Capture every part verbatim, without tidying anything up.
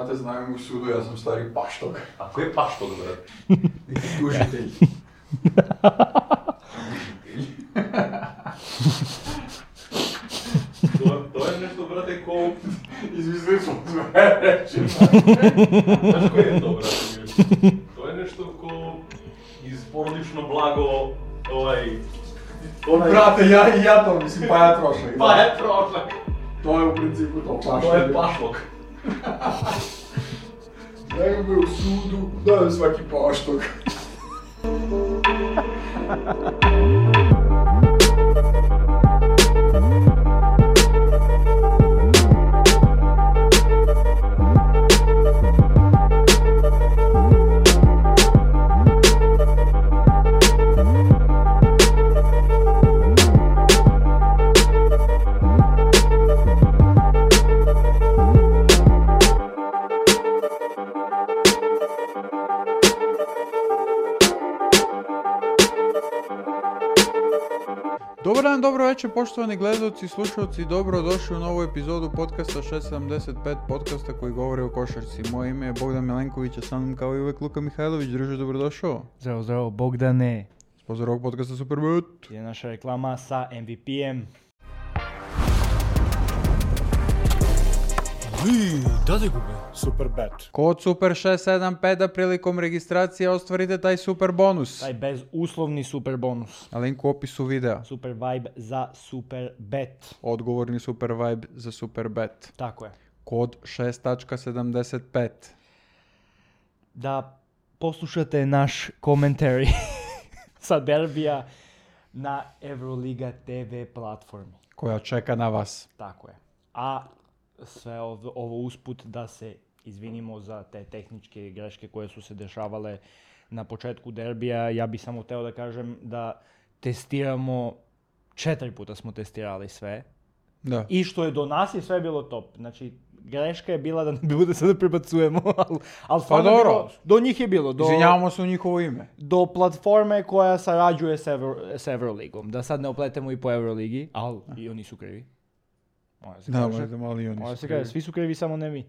znate, znaju u sudu, ja sam stari paštog. A ko je paštog, brate? Neki tužitelj. To, to je nešto, brate, ko... Izmislili smo sve reći. Znaš ko je to, brate? To je nešto ko iz porodično blago, ovaj... Onaj... Brate, ja i ja to mislim, pa ja trošak. Pa je trošak. To je u principu to paštog. To je pašlog. Nego me u sudu, dajem svaki paštog. Dobar dan, dobro večer, poštovani gledalci i slušalci, dobro došli u novu epizodu podcasta šest sedamdeset pet, podcasta koji govori o košarci. Moje ime je Bogdan Milenković, a sa mnom kao i uvek Luka Mihajlović. Druže, dobrodošao. Zdravo, zdravo, Bogdane. Spozor ovog podcasta Superbet. Je naša reklama sa M V P-em. Vi, dade gube, Superbet. Kod Super šest sedam pet da prilikom registracije ostvarite taj super bonus. Taj bezuslovni super bonus. Na linku u opisu videa. Super vibe za Superbet. Odgovorni super vibe za Superbet. Tako je. Kod šest sedamdeset pet. Da poslušate naš commentary sa derbija na Euroliga te ve platformi. Koja čeka na vas. Tako je. A sve ovo, ovo usput da se izvinimo za te tehničke greške koje su se dešavale na početku derbija. Ja bih samo teo da kažem da testiramo, četiri puta smo testirali sve. Da. I što je do nas je sve bilo top. Znači, greška je bila da ne bude sad da prebacujemo, ali al Pa dobro. do njih je bilo. Do, Izvinjavamo se u njihovo ime. do platforme koja sarađuje s, Euro, s Euroligom. Da sad ne opletemo i po Euroligi, ali i oni su krivi. Može se Da, kaže. možda malo i oni Može su se krivi. kaže, svi su krivi, samo ne mi.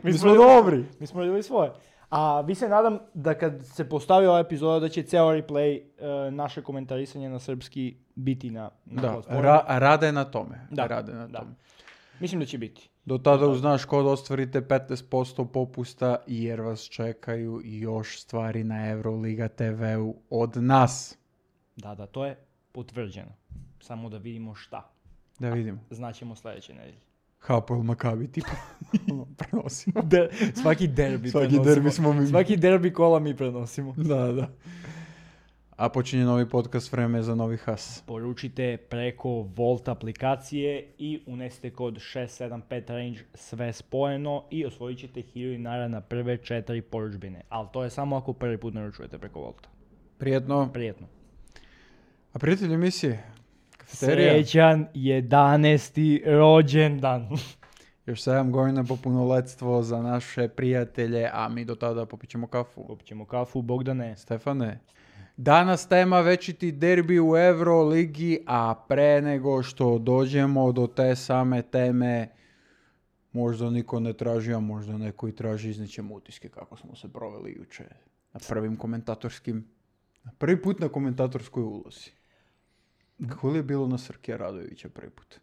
Mi smo dobri. Mi smo radili svoje. A vi se nadam da kad se postavi ova epizoda da će ceo replay uh, naše komentarisanje na srpski biti na, na Da, platformi. ra- rade na tome. Da, Rade na da. tome. Mislim da će biti. Do tada uz naš kod ostvarite petnaest posto popusta jer vas čekaju još stvari na Euroliga te veu od nas. Da, da, to je potvrđeno. Samo da vidimo šta. Da vidimo. Znaćemo sljedeće nedelje. Hapoel Makabi tipa. Prenosimo. De, svaki derbi Svaki prenosimo. derbi smo mi. Svaki derbi kola mi prenosimo. Da, da. A počinje novi podcast, vreme za novi has. Poručite preko Volt aplikacije i unesite kod šest sedam pet range sve spojeno i osvojit ćete hiljadu dinara na prve četiri poručbine. Ali to je samo ako prvi put naručujete preko Volta. Prijetno. Prijetno. A prijatelji emisije? Kafeterija? Srećan jedanaesti rođendan. Još sedam godina po punoletstvo za naše prijatelje, a mi do tada popićemo kafu. Popit ćemo kafu, Bogdane. Stefane, danas tema večiti derbi u Euroligi, a pre nego što dođemo do te same teme, možda niko ne traži, a možda neko i traži, iznećemo utiske kako smo se proveli juče na prvim komentatorskim, na prvi put na komentatorskoj ulozi. Kako li je bilo na Srkija Radojevića prvi put?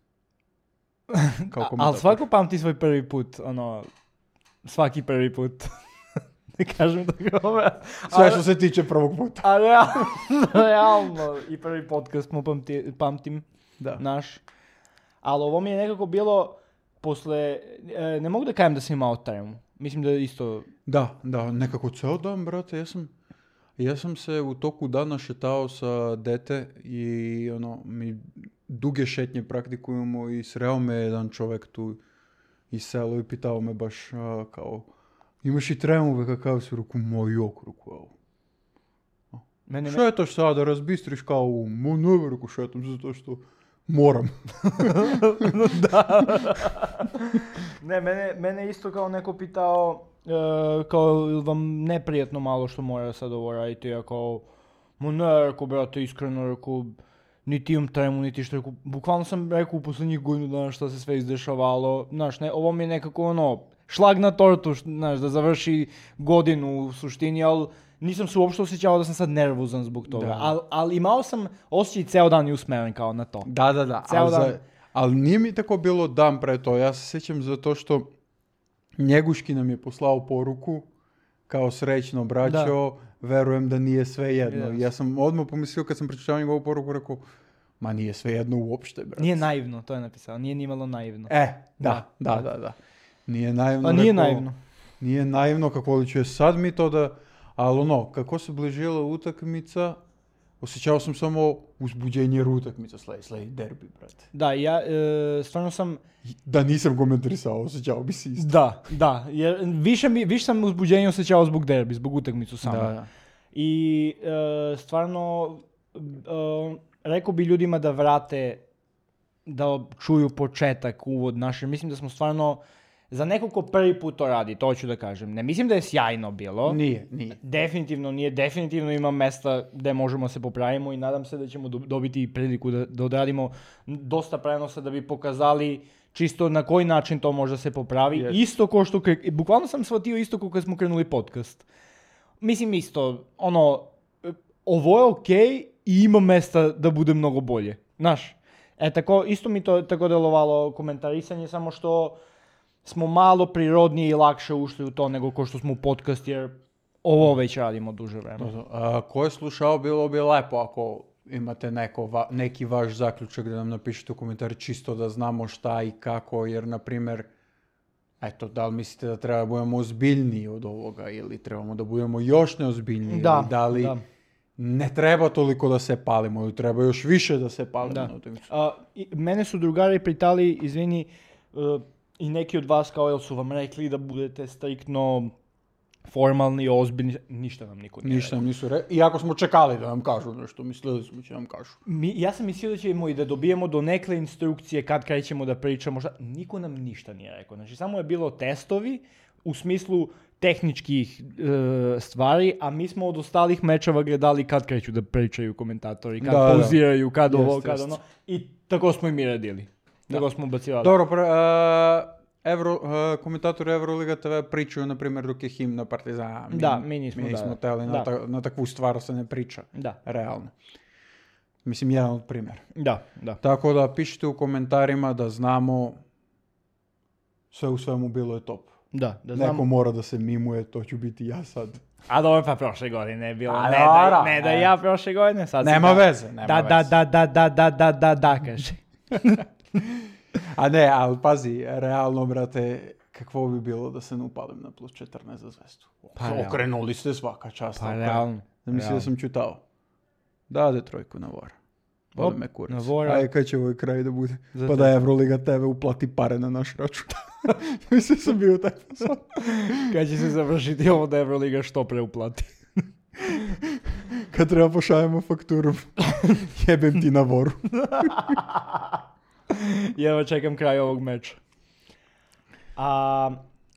Kao A, ali komentator. svako pamti svoj prvi put, ono, svaki prvi put. Ne kažem da ga ove... Sve što se tiče prvog puta. A realno, realno, i prvi podcast mu pamti, pamtim, Da. naš. Ali ovo mi je nekako bilo posle, e, ne mogu da kajem da sam imao tremu. Mislim da je isto, Da, da, nekako ceo dan, brate, ja sam, ja sam se u toku dana šetao sa dete i ono, mi duge šetnje praktikujemo i sreo me jedan čovek tu iz selu i pitao me baš a, kao, imaš i tremu, ve kakav si, ruku, moj jok, ruku, evo. mene, Šetaš sada, razbistriš kao, mo ne, ruku, šetam zato što moram. da. Ne, mene, mene isto kao neko pitao, e, kao ili vam neprijatno malo što mora sad ovo raditi, ja kao, mo ne, rekao, brate, iskreno, rekao, niti imam tremu, niti što rekao, bukvalno sam rekao u poslednjih godinu dana što se sve izdešavalo, znaš, ne, ovo mi je nekako ono, šlag na tortu, znaš, da završi godinu u suštini, ali nisam se uopšte osjećao da sam sad nervozan zbog toga, ali al imao sam osjećaj ceo dan i usmeren kao na to. Da, da, da, ali, za, ali nije mi tako bilo dan pre to, ja se sjećam zato što Njeguški nam je poslao poruku, kao srećno braćo, da. Verujem da nije sve jedno. Yes. Ja sam odmah pomislio kad sam pročitao njegovu poruku, rekao, ma nije sve jedno uopšte, brate. Nije naivno, to je napisao, nije nimalo naivno. E, da, da, da, da. Nije naivno. Pa nije rekao, naivno. Nije naivno kako li će sad mi to da, ali ono, kako se bližila utakmica, osjećao sam samo uzbuđenje jer utakmica slej, slej derbi, brate. Da, ja e, stvarno sam... Da nisam komentarisao, osjećao bi se isto. Da, da, jer više, mi, više sam uzbuđenje osjećao zbog derbi, zbog utakmicu samo. Da, da. I e, stvarno, e, rekao bi ljudima da vrate, da čuju početak, uvod naše. Mislim da smo stvarno, za neko ko prvi put to radi, to ću da kažem. Ne mislim da je sjajno bilo. Nije, nije. Definitivno nije, definitivno ima mesta gde možemo se popravimo i nadam se da ćemo dobiti priliku da, da odradimo dosta prenosa da bi pokazali čisto na koji način to može se popravi. Yes. Isto ko što, bukvalno sam shvatio isto ko kad smo krenuli podcast. Mislim isto, ono, ovo je okej okay i ima mesta da bude mnogo bolje. Znaš, e tako, isto mi to tako delovalo komentarisanje, samo što smo malo prirodnije i lakše ušli u to nego ko što smo u podcast, jer ovo već radimo duže vremena. A, ko je slušao, bilo bi lepo ako imate neko, va, neki vaš zaključak da nam napišete u komentari čisto da znamo šta i kako, jer na primjer, eto, da li mislite da treba da budemo ozbiljniji od ovoga ili trebamo da budemo još neozbiljniji, da, ili da li da. Ne treba toliko da se palimo ili treba još više da se palimo. Da. A, i, mene su drugari pitali, izvini, uh, i neki od vas kao jel su vam rekli da budete striktno formalni, ozbiljni, ništa nam niko nije Ništa nam nisu rekli, iako smo čekali da nam kažu nešto, mislili smo će nam kažu. Mi, ja sam mislio da ćemo i da dobijemo do nekle instrukcije kad krećemo da pričamo, šta, niko nam ništa nije rekao. Znači samo je bilo testovi u smislu tehničkih e, stvari, a mi smo od ostalih mečeva gledali kad kreću da pričaju komentatori, kad da, pauziraju, kad da. ovo, jest, kad jest. ono, i tako smo i mi radili. Tako smo bacivali. Dobro, pr- uh, Evro, uh, komentatori Euroliga te ve pričaju, na primjer, dok je himna Partizana. Mi, da, mi nismo, mi nismo da, teli, da. Na, ta, na takvu stvar se ne priča. Da. Realno. Mislim, jedan od primjera. Da, da. Tako da pišite u komentarima da znamo sve u svemu bilo je top. Da, da Neko znamo. mora da se mimuje, to ću biti ja sad. A dobro, pa prošle godine je bilo, A, ne, dobra, da, ne da ja prošle godine, sad nema da, veze, nema da, veze. Da, da, da, da, da, da, da, kaže. A ne, ali pazi, realno, brate, kakvo bi bilo da se ne upalim na plus četrnaest za zvezdu? Pa, okrenuli ste svaka čast. Pa realno. Da misli da sam čutao. Dade trojku na vora. Boli me kurac. Na vora. Ajde, kad će ovaj kraj da bude? Zato. Pa da Euroliga te ve uplati pare na naš račun. Mislim sam bio taj posao. Kad će se završiti ovo da Euroliga što pre uplati? Kad treba pošaljemo fakturu, jebem ti na voru. Jedva čekam kraj ovog meča. A,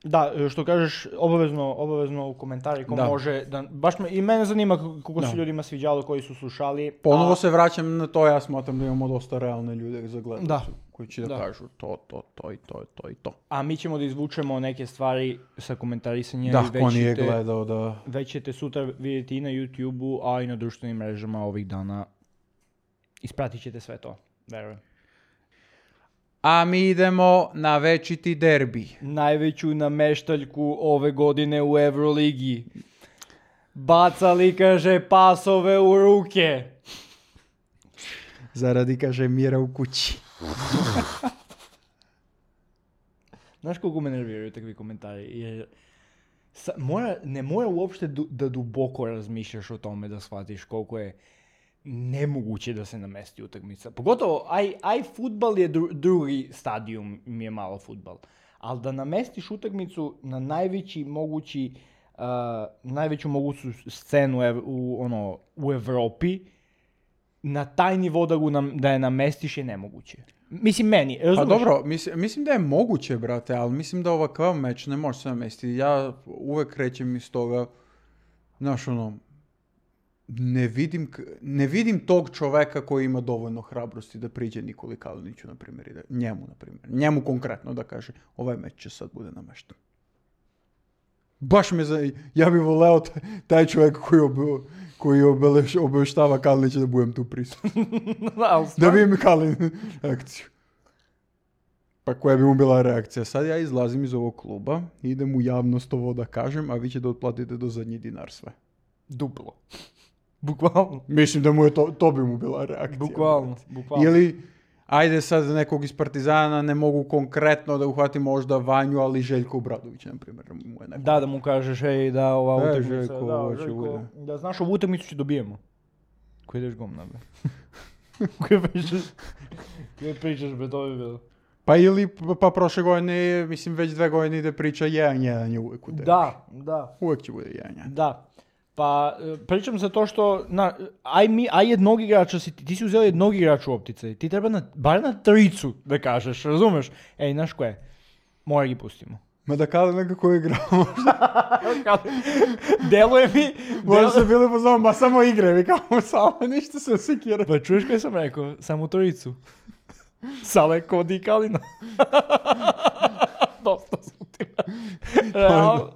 da, što kažeš, obavezno, obavezno u komentari ko da. može, da, baš me, i mene zanima kako se ljudima sviđalo koji su slušali. Ponovo a, se vraćam na to, ja smatram da imamo dosta realne ljude za gledalicu, da. koji će da, da kažu to, to, to i to, to i to. A mi ćemo da izvučemo neke stvari sa komentarisanjem. Da, i ko nije gledao da... Već ćete sutra vidjeti i na YouTube-u, a i na društvenim mrežama ovih dana. Ispratit ćete sve to, verujem. A mi idemo na večiti derbi. Najveću nameštaljku ove godine u Euroligi. Bacali, kaže, pasove u ruke. Zaradi, kaže, mira u kući. Znaš koliko me nerviraju takvi komentari? Jer sa, mora, ne mora uopšte du, da duboko razmišljaš o tome da shvatiš koliko je nemoguće da se namesti utakmica. Pogotovo, aj, aj futbal je dru, drugi stadijum, mi je malo futbal. Ali da namestiš utakmicu na najveći mogući, uh, najveću moguću scenu ev, u, ono, u Evropi, na taj nivo da, nam, da je namestiš je nemoguće. Mislim, meni. Pa dobro, mislim, mislim da je moguće, brate, ali mislim da ovakav meč ne može se namestiti. Ja uvek krećem iz toga, znaš, ono, ne vidim, k- ne vidim tog čoveka koji ima dovoljno hrabrosti da priđe Nikoli Kaliniću, na primjer, i da, njemu, na primjer, njemu konkretno da kaže, ovaj meč će sad bude namešten. Baš me za... Ja bih voleo taj, taj čovjek koji, ob, koji obeleš, obeštava Kalinića da budem tu prisutan. Da vidim Kalin akciju. Pa koja bi mu bila reakcija? Sad ja izlazim iz ovog kluba, idem u javnost ovo da kažem, a vi ćete otplatiti do zadnji dinar sve. Duplo. Bukvalno. Mislim da mu je to, to bi mu bila reakcija. Bukvalno, bukvalno. Ili, ajde sad nekog iz Partizana, ne mogu konkretno da uhvatim možda Vanju, ali Željko Obradović, na primjer, mu je neko. Da, da mu kažeš, ej, da ova E, utakmica, Željko, da, ovo će Željko, bude. da znaš, ovu utakmicu će dobijemo. Koji ideš gom, be. Koji pričaš, koji pričaš, be, to bi bilo. Pa ili, pa prošle godine, mislim, već dve godine ide priča jedan jedan je uvijek u tebi. Da, da, Uvijek će bude jedan jedan. da. Pa, e, pričam za to što, na, aj, mi, aj jednog igrača si, ti si uzeo jednog igrača u optice, ti treba na, bar na tricu da kažeš, razumeš? Ej, znaš ko je? Mora gi pustimo. Ma da kada nekako igramo, Deluje mi... možda se bili pozvao, ma samo igre, mi kao samo, ništa se sekira. Pa čuješ kaj sam rekao? Samo trojicu. Sale, Kodi i Kalina. Dosta su ti. Realno.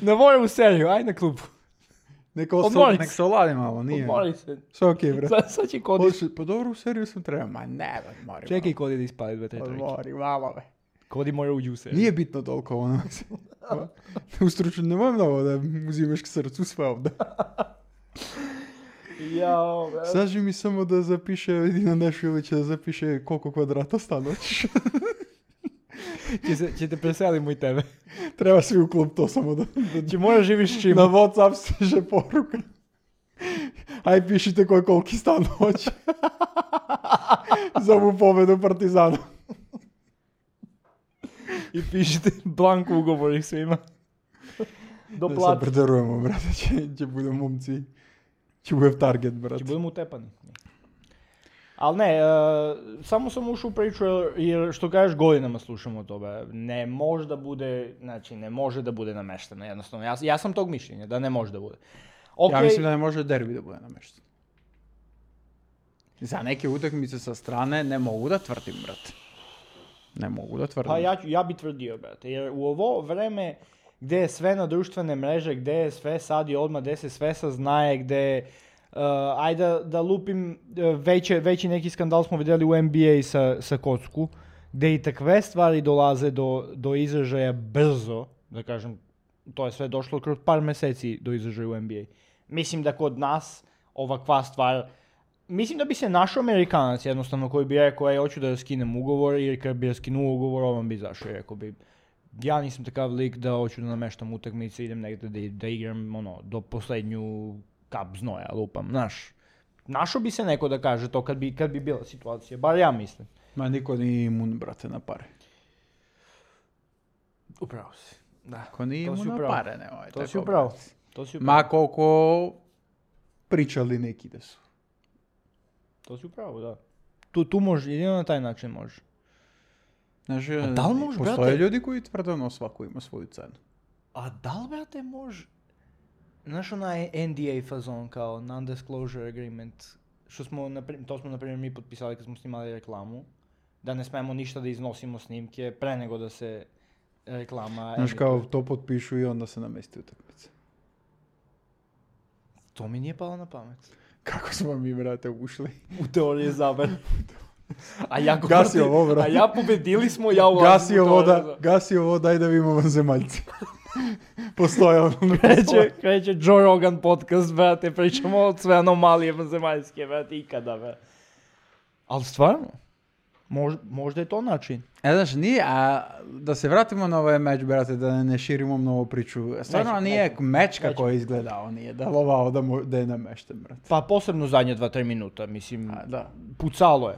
Ne volim u seriju, aj na klubu. Neka Odmori oso, nek se. se oladi malo, nije. Odmori se. Sve okej, bre. Sad, sad će Kodi... Hoće- Pa dobro, u seriju sam trebao, ma ne, odmori Čekaj Kodi da ispali dve, tre malo. trojke. Odmori malo, be. Kodi mora uđi u seriju. Nije bitno toliko ono. U stručnu nemoj mnogo da uzimaš k srcu sve ovdje. Jao, bre. Saži mi samo da zapiše, Edina Nešilića da zapiše koliko kvadrata stana hoćeš. Će, se, će te preselimo i tebe. Treba svi u klub to samo da... da Će moraš živiš čim. na WhatsApp stiže poruka. Aj pišite koji koliki stan hoće. Za ovu pobedu Partizana. I pišite blanko ugovor ih svima. Do Ne se plati. predarujemo, brate, će, će bude momci. Će bude target, brate. Će budemo utepani. Ali ne, e, samo sam ušao u priču jer, jer što kažeš godinama slušamo o tome. Ne može da bude, znači ne može da bude namešteno jednostavno. Ja, ja sam tog mišljenja da ne može da bude. Okay. Ja mislim da ne može derbi da bude namješten. Za neke utakmice sa strane ne mogu da tvrdim, brate. Ne mogu da tvrdim. Pa ja, ću- ja bi tvrdio, brate, jer u ovo vreme gdje je sve na društvene mreže, gdje je sve sad i odmah, gdje se sve saznaje, gdje, uh, ajde da, da lupim, uh, veće, veći neki skandal smo vidjeli u N B A sa, sa kocku, gdje i takve stvari dolaze do, do izražaja brzo, da kažem, to je sve došlo kroz par mjeseci do izražaja u N B A. Mislim da kod nas ovakva stvar, mislim da bi se našao Amerikanac jednostavno koji bi rekao, ej, hoću da skinem ugovor, ili kad bi skinuo ugovor, ovom bi izašao i rekao bi, ja nisam takav lik da hoću da nameštam utakmice, idem negdje da, da igram ono, do posljednju kap znoja, lupam, znaš. Našao bi se neko da kaže to kad bi, kad bi bila situacija, bar ja mislim. Ma niko nije imun, brate, na pare. Upravo si. Da. Ko nije To si imun na upravo. pare, ne ovaj. To tako, si upravo. brate. To si upravo. Ma koliko pričali neki da su. To si upravo, da. Tu, tu može, jedino na taj način može. Znaš, A da li može, postoje brate? ljudi koji tvrde ono svako ima svoju cenu. A da li, brate, može? Znaš onaj N D A fazon kao non-disclosure agreement, što smo, napri- to smo na primjer mi potpisali kad smo snimali reklamu, da ne smemo ništa da iznosimo snimke pre nego da se reklama Znaš emituje. kao to potpišu i onda se namesti utakmice. To mi nije palo na pamet. Kako smo mi, brate, ušli? U teorije zaber. A ja Gasi ovo, brate. A ja pobedili smo, ja ulazim Gasi u teorije ovo, da, zaber. gasi ovo, daj da vidimo vanzemaljci. Postoje ono. Kreće, kreće Joe Rogan podcast, brate, pričamo od sve anomalije vanzemaljske, brate, ikada, brate. Ali stvarno, mož, možda je to način. E, znaš, nije, a da se vratimo na ovaj meč, brate, da ne širimo mnogo priču. Stvarno Nećemo, nije nećemo. meč kako Nećemo. je izgledao, nije delovao da, mu, da je namešten, brate. Pa posebno zadnje dva, tri minuta, mislim, A, da, pucalo je.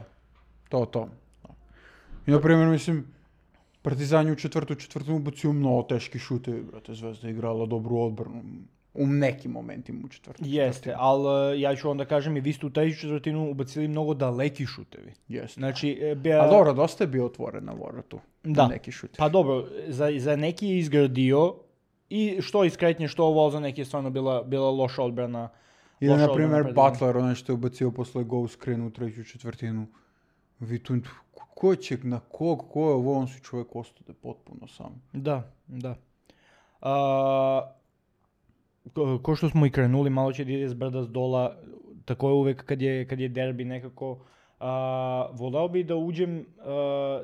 to, to. I, na primjer, mislim, Partizan je u četvrtu četvrtu ubacio mnogo teški šutevi, brate, Zvezda je igrala dobru odbranu u nekim momentima u četvrtu. Jeste, ali ja ću onda kažem i vi ste u treću četvrtinu ubacili mnogo daleki šutevi. Jeste. Znači, e, bija- A dobro, dosta je bio otvoren na voratu. Da. Neki šutevi. Pa dobro, za, za neki je izgradio i što iz kretnje, što ovo, za neki je stvarno bila, bila loša odbrana. Ili, loša na primjer, odbrana Butler, onaj što je ubacio posle goal screen u treću četvrtinu. Vi tu, ko će, na kog, ko je ovo, on si čovjek ostade potpuno sam. Da, da. A, ko, ko što smo i krenuli, malo će da ide s brda s dola, tako je uvek kad je, kad je derbi nekako. A, voleo bi da uđem, a,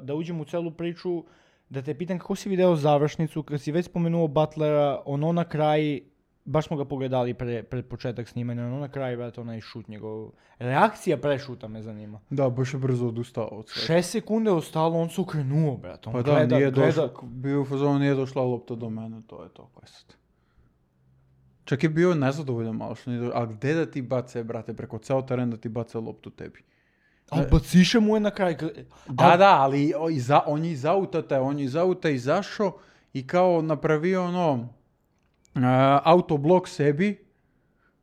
da uđem u celu priču, da te pitam kako si video završnicu, kad si već spomenuo Butlera, ono na kraj, baš smo ga pogledali pre, pred početak snimanja, ono na kraj, brate, onaj šut njegov. Reakcija pre šuta me zanima. Da, baš je brzo odustao od svega. Šest sekunde je ostalo, on se okrenuo, brate. On Pa da, gleda, nije gleda. došla, bio u fazonu, nije došla lopta do mene, to je to, kaj sad. Čak je bio nezadovoljan malo što nije došla, a gde da ti bace, brate, preko ceo teren da ti bace loptu tebi? A baciše mu je na kraj. Da, da, ali o, iza, on je iz auta, taj, on je iz auta izašao i kao napravio ono, uh, autoblok sebi,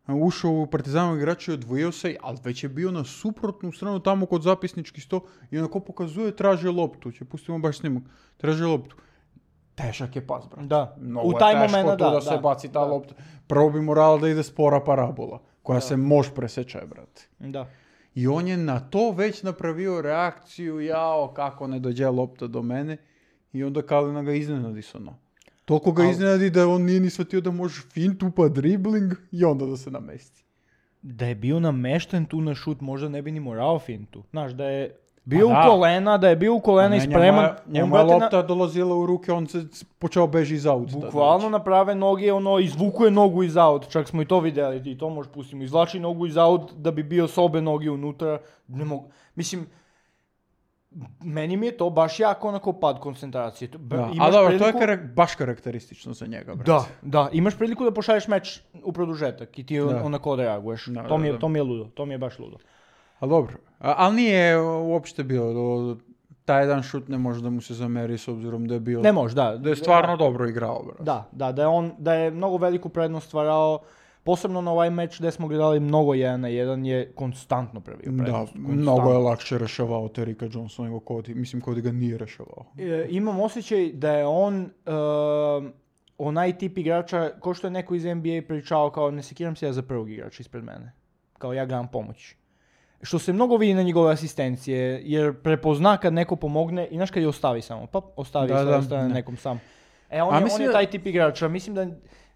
ušao u Partizanovog igrača i odvojio se, ali već je bio na suprotnu stranu tamo kod zapisnički sto i onako pokazuje, traži loptu, će pustimo baš snimak, traži loptu. Težak je pas, brate. Da, Mnogo u taj je teško moment, tu da, da, se da, baci ta da. lopta. Prvo bi morala da ide spora parabola, koja Da. se može preseče, brate. Da. I on je na to već napravio reakciju, jao, kako ne dođe lopta do mene. I onda Kalina ga iznenadi s ono. Toliko ga Al- iznenadi da on nije ni shvatio da može fintu pa dribling i onda da se namesti. Da je bio namešten tu na šut, možda ne bi ni morao fintu. Znaš, da je bio Pa u da. kolena, da je bio u kolena i Ne, spreman. Njemu je, on, njemu je brate, na- lopta dolazila u ruke, on se počeo beži iz auta. Bukvalno na prave noge, ono, izvukuje nogu iz aut, čak smo i to vidjeli, i to možeš pustiti, izvlači nogu iz aut da bi bio s obe noge unutra, ne mogu, mislim, meni mi je to baš jako onako pad koncentracije. To- Da. imaš A dobro, to je priliku- karak- baš karakteristično za njega, brate. Da, da, imaš priliku da pošalješ meč u produžetak i ti on, Da. onako reaguješ, Da, to, mi je, da, da. to mi je ludo, to mi je baš ludo. Ali dobro, A, ali nije uopšte bilo, do, taj jedan šut ne može da mu se zameri s obzirom da je bio, Ne može, da. da je stvarno dobro igrao, brate. Da, da, da je on, da je mnogo veliku prednost stvarao, posebno na ovaj meč gdje smo gledali mnogo jedan na jedan je konstantno pravio Da, prednost. mnogo je lakše rešavao Terika Johnson nego Cody. Mislim, Cody ga nije rešavao. E, imam osjećaj da je on uh, onaj tip igrača, ko što je neko iz N B A pričao, kao ne sekiram se ja za prvog igrača ispred mene. Kao ja ga vam pomoći. Što se mnogo vidi na njegove asistencije, jer prepozna kad neko pomogne i znaš kad je ostavi samo, pa ostavi Da, da, da, ostane da. nekom sam. E, on, A je, mislim on je da- taj tip igrača, mislim da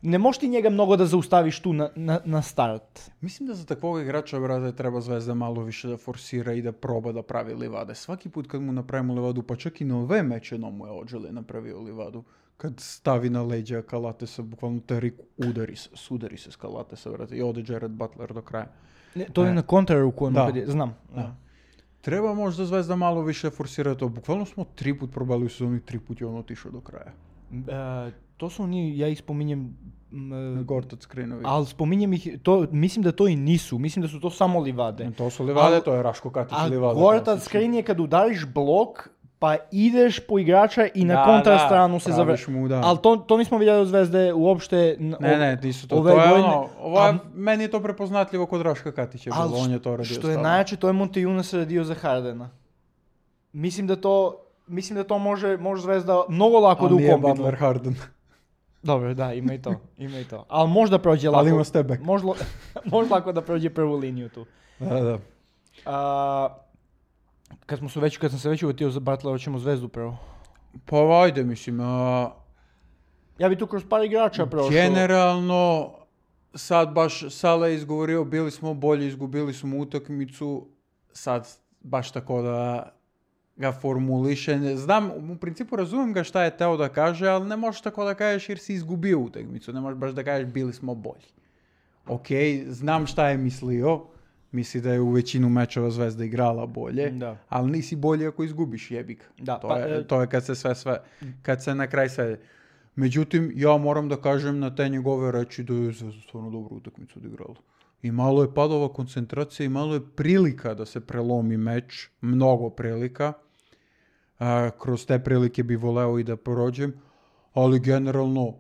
ne možeš ti njega mnogo da zaustaviš tu na, na, na start. Mislim da za takvog igrača, brate, treba Zvezda malo više da forsira i da proba da pravi livade. Svaki put kad mu napravimo livadu, pa čak i na ove meče no mu je Odželi napravio livadu. Kad stavi na leđa Kalatesa, bukvalno Terik udari se, sudari se s Kalatesa, brate, i ode Jared Butler do kraja. Ne, to je E. na kontraruku, ono Da. kad je, znam. Da. Treba možda Zvezda malo više forsira to. Bukvalno smo tri put probali u sezoni, tri put je on otišao do kraja. E, to su oni, ja ih spominjem, m, e, Gortac Skrinović. ali spominjem ih, to, mislim da to i nisu, mislim da su to samo livade. To su livade, Al- to je Raško Katić A livada. Gortac klasična. screen je kad udariš blok, pa ideš po igrača i na Da, kontrastranu da, se praviš završi. mu, da. Ali to, to nismo vidjeli od Zvezde uopšte. n- Ne, ov- ne, nisu to. ove To je godine, ono, ovo je, a- meni je to prepoznatljivo kod Raška Katića ali bilo, on je to radio što je stalno. najjače, to je Montejunas radio za Hardena. Mislim da to, mislim da to može, može Zvezda mnogo lako Ali da nije ukombinuje. Butler Harden. Dobro, da, ima i to, ima i to. Ali možda prođe lako. Ali ima step back. Možda, može lako da prođe prvu liniju tu. Da, da. A, kad, smo se već, kad sam se već uvetio za Butlera, hoćemo Zvezdu prvo. Pa ajde, mislim, a, Ja bi tu kroz par igrača prošao. generalno, sad baš Sala je izgovorio, bili smo bolji, izgubili smo utakmicu, sad baš tako da ga formuliše. Znam, u principu razumijem ga šta je teo da kaže, ali ne možeš tako da kažeš jer si izgubio utakmicu, ne možeš baš da kažeš bili smo bolji. Ok, znam šta je mislio, misli da je u većinu mečeva Zvezda igrala bolje, Da. ali nisi bolji ako izgubiš, jebi ga. Da, to, pa, je, e- to je kad se sve, sve, kad se na kraj sve. Međutim, ja moram da kažem na te njegove reči da je Zvezda stvarno dobru utakmicu odigrala. I malo je padova koncentracija i malo je prilika da se prelomi meč, mnogo prilika. A, kroz te prilike bi voleo i da prođem, ali generalno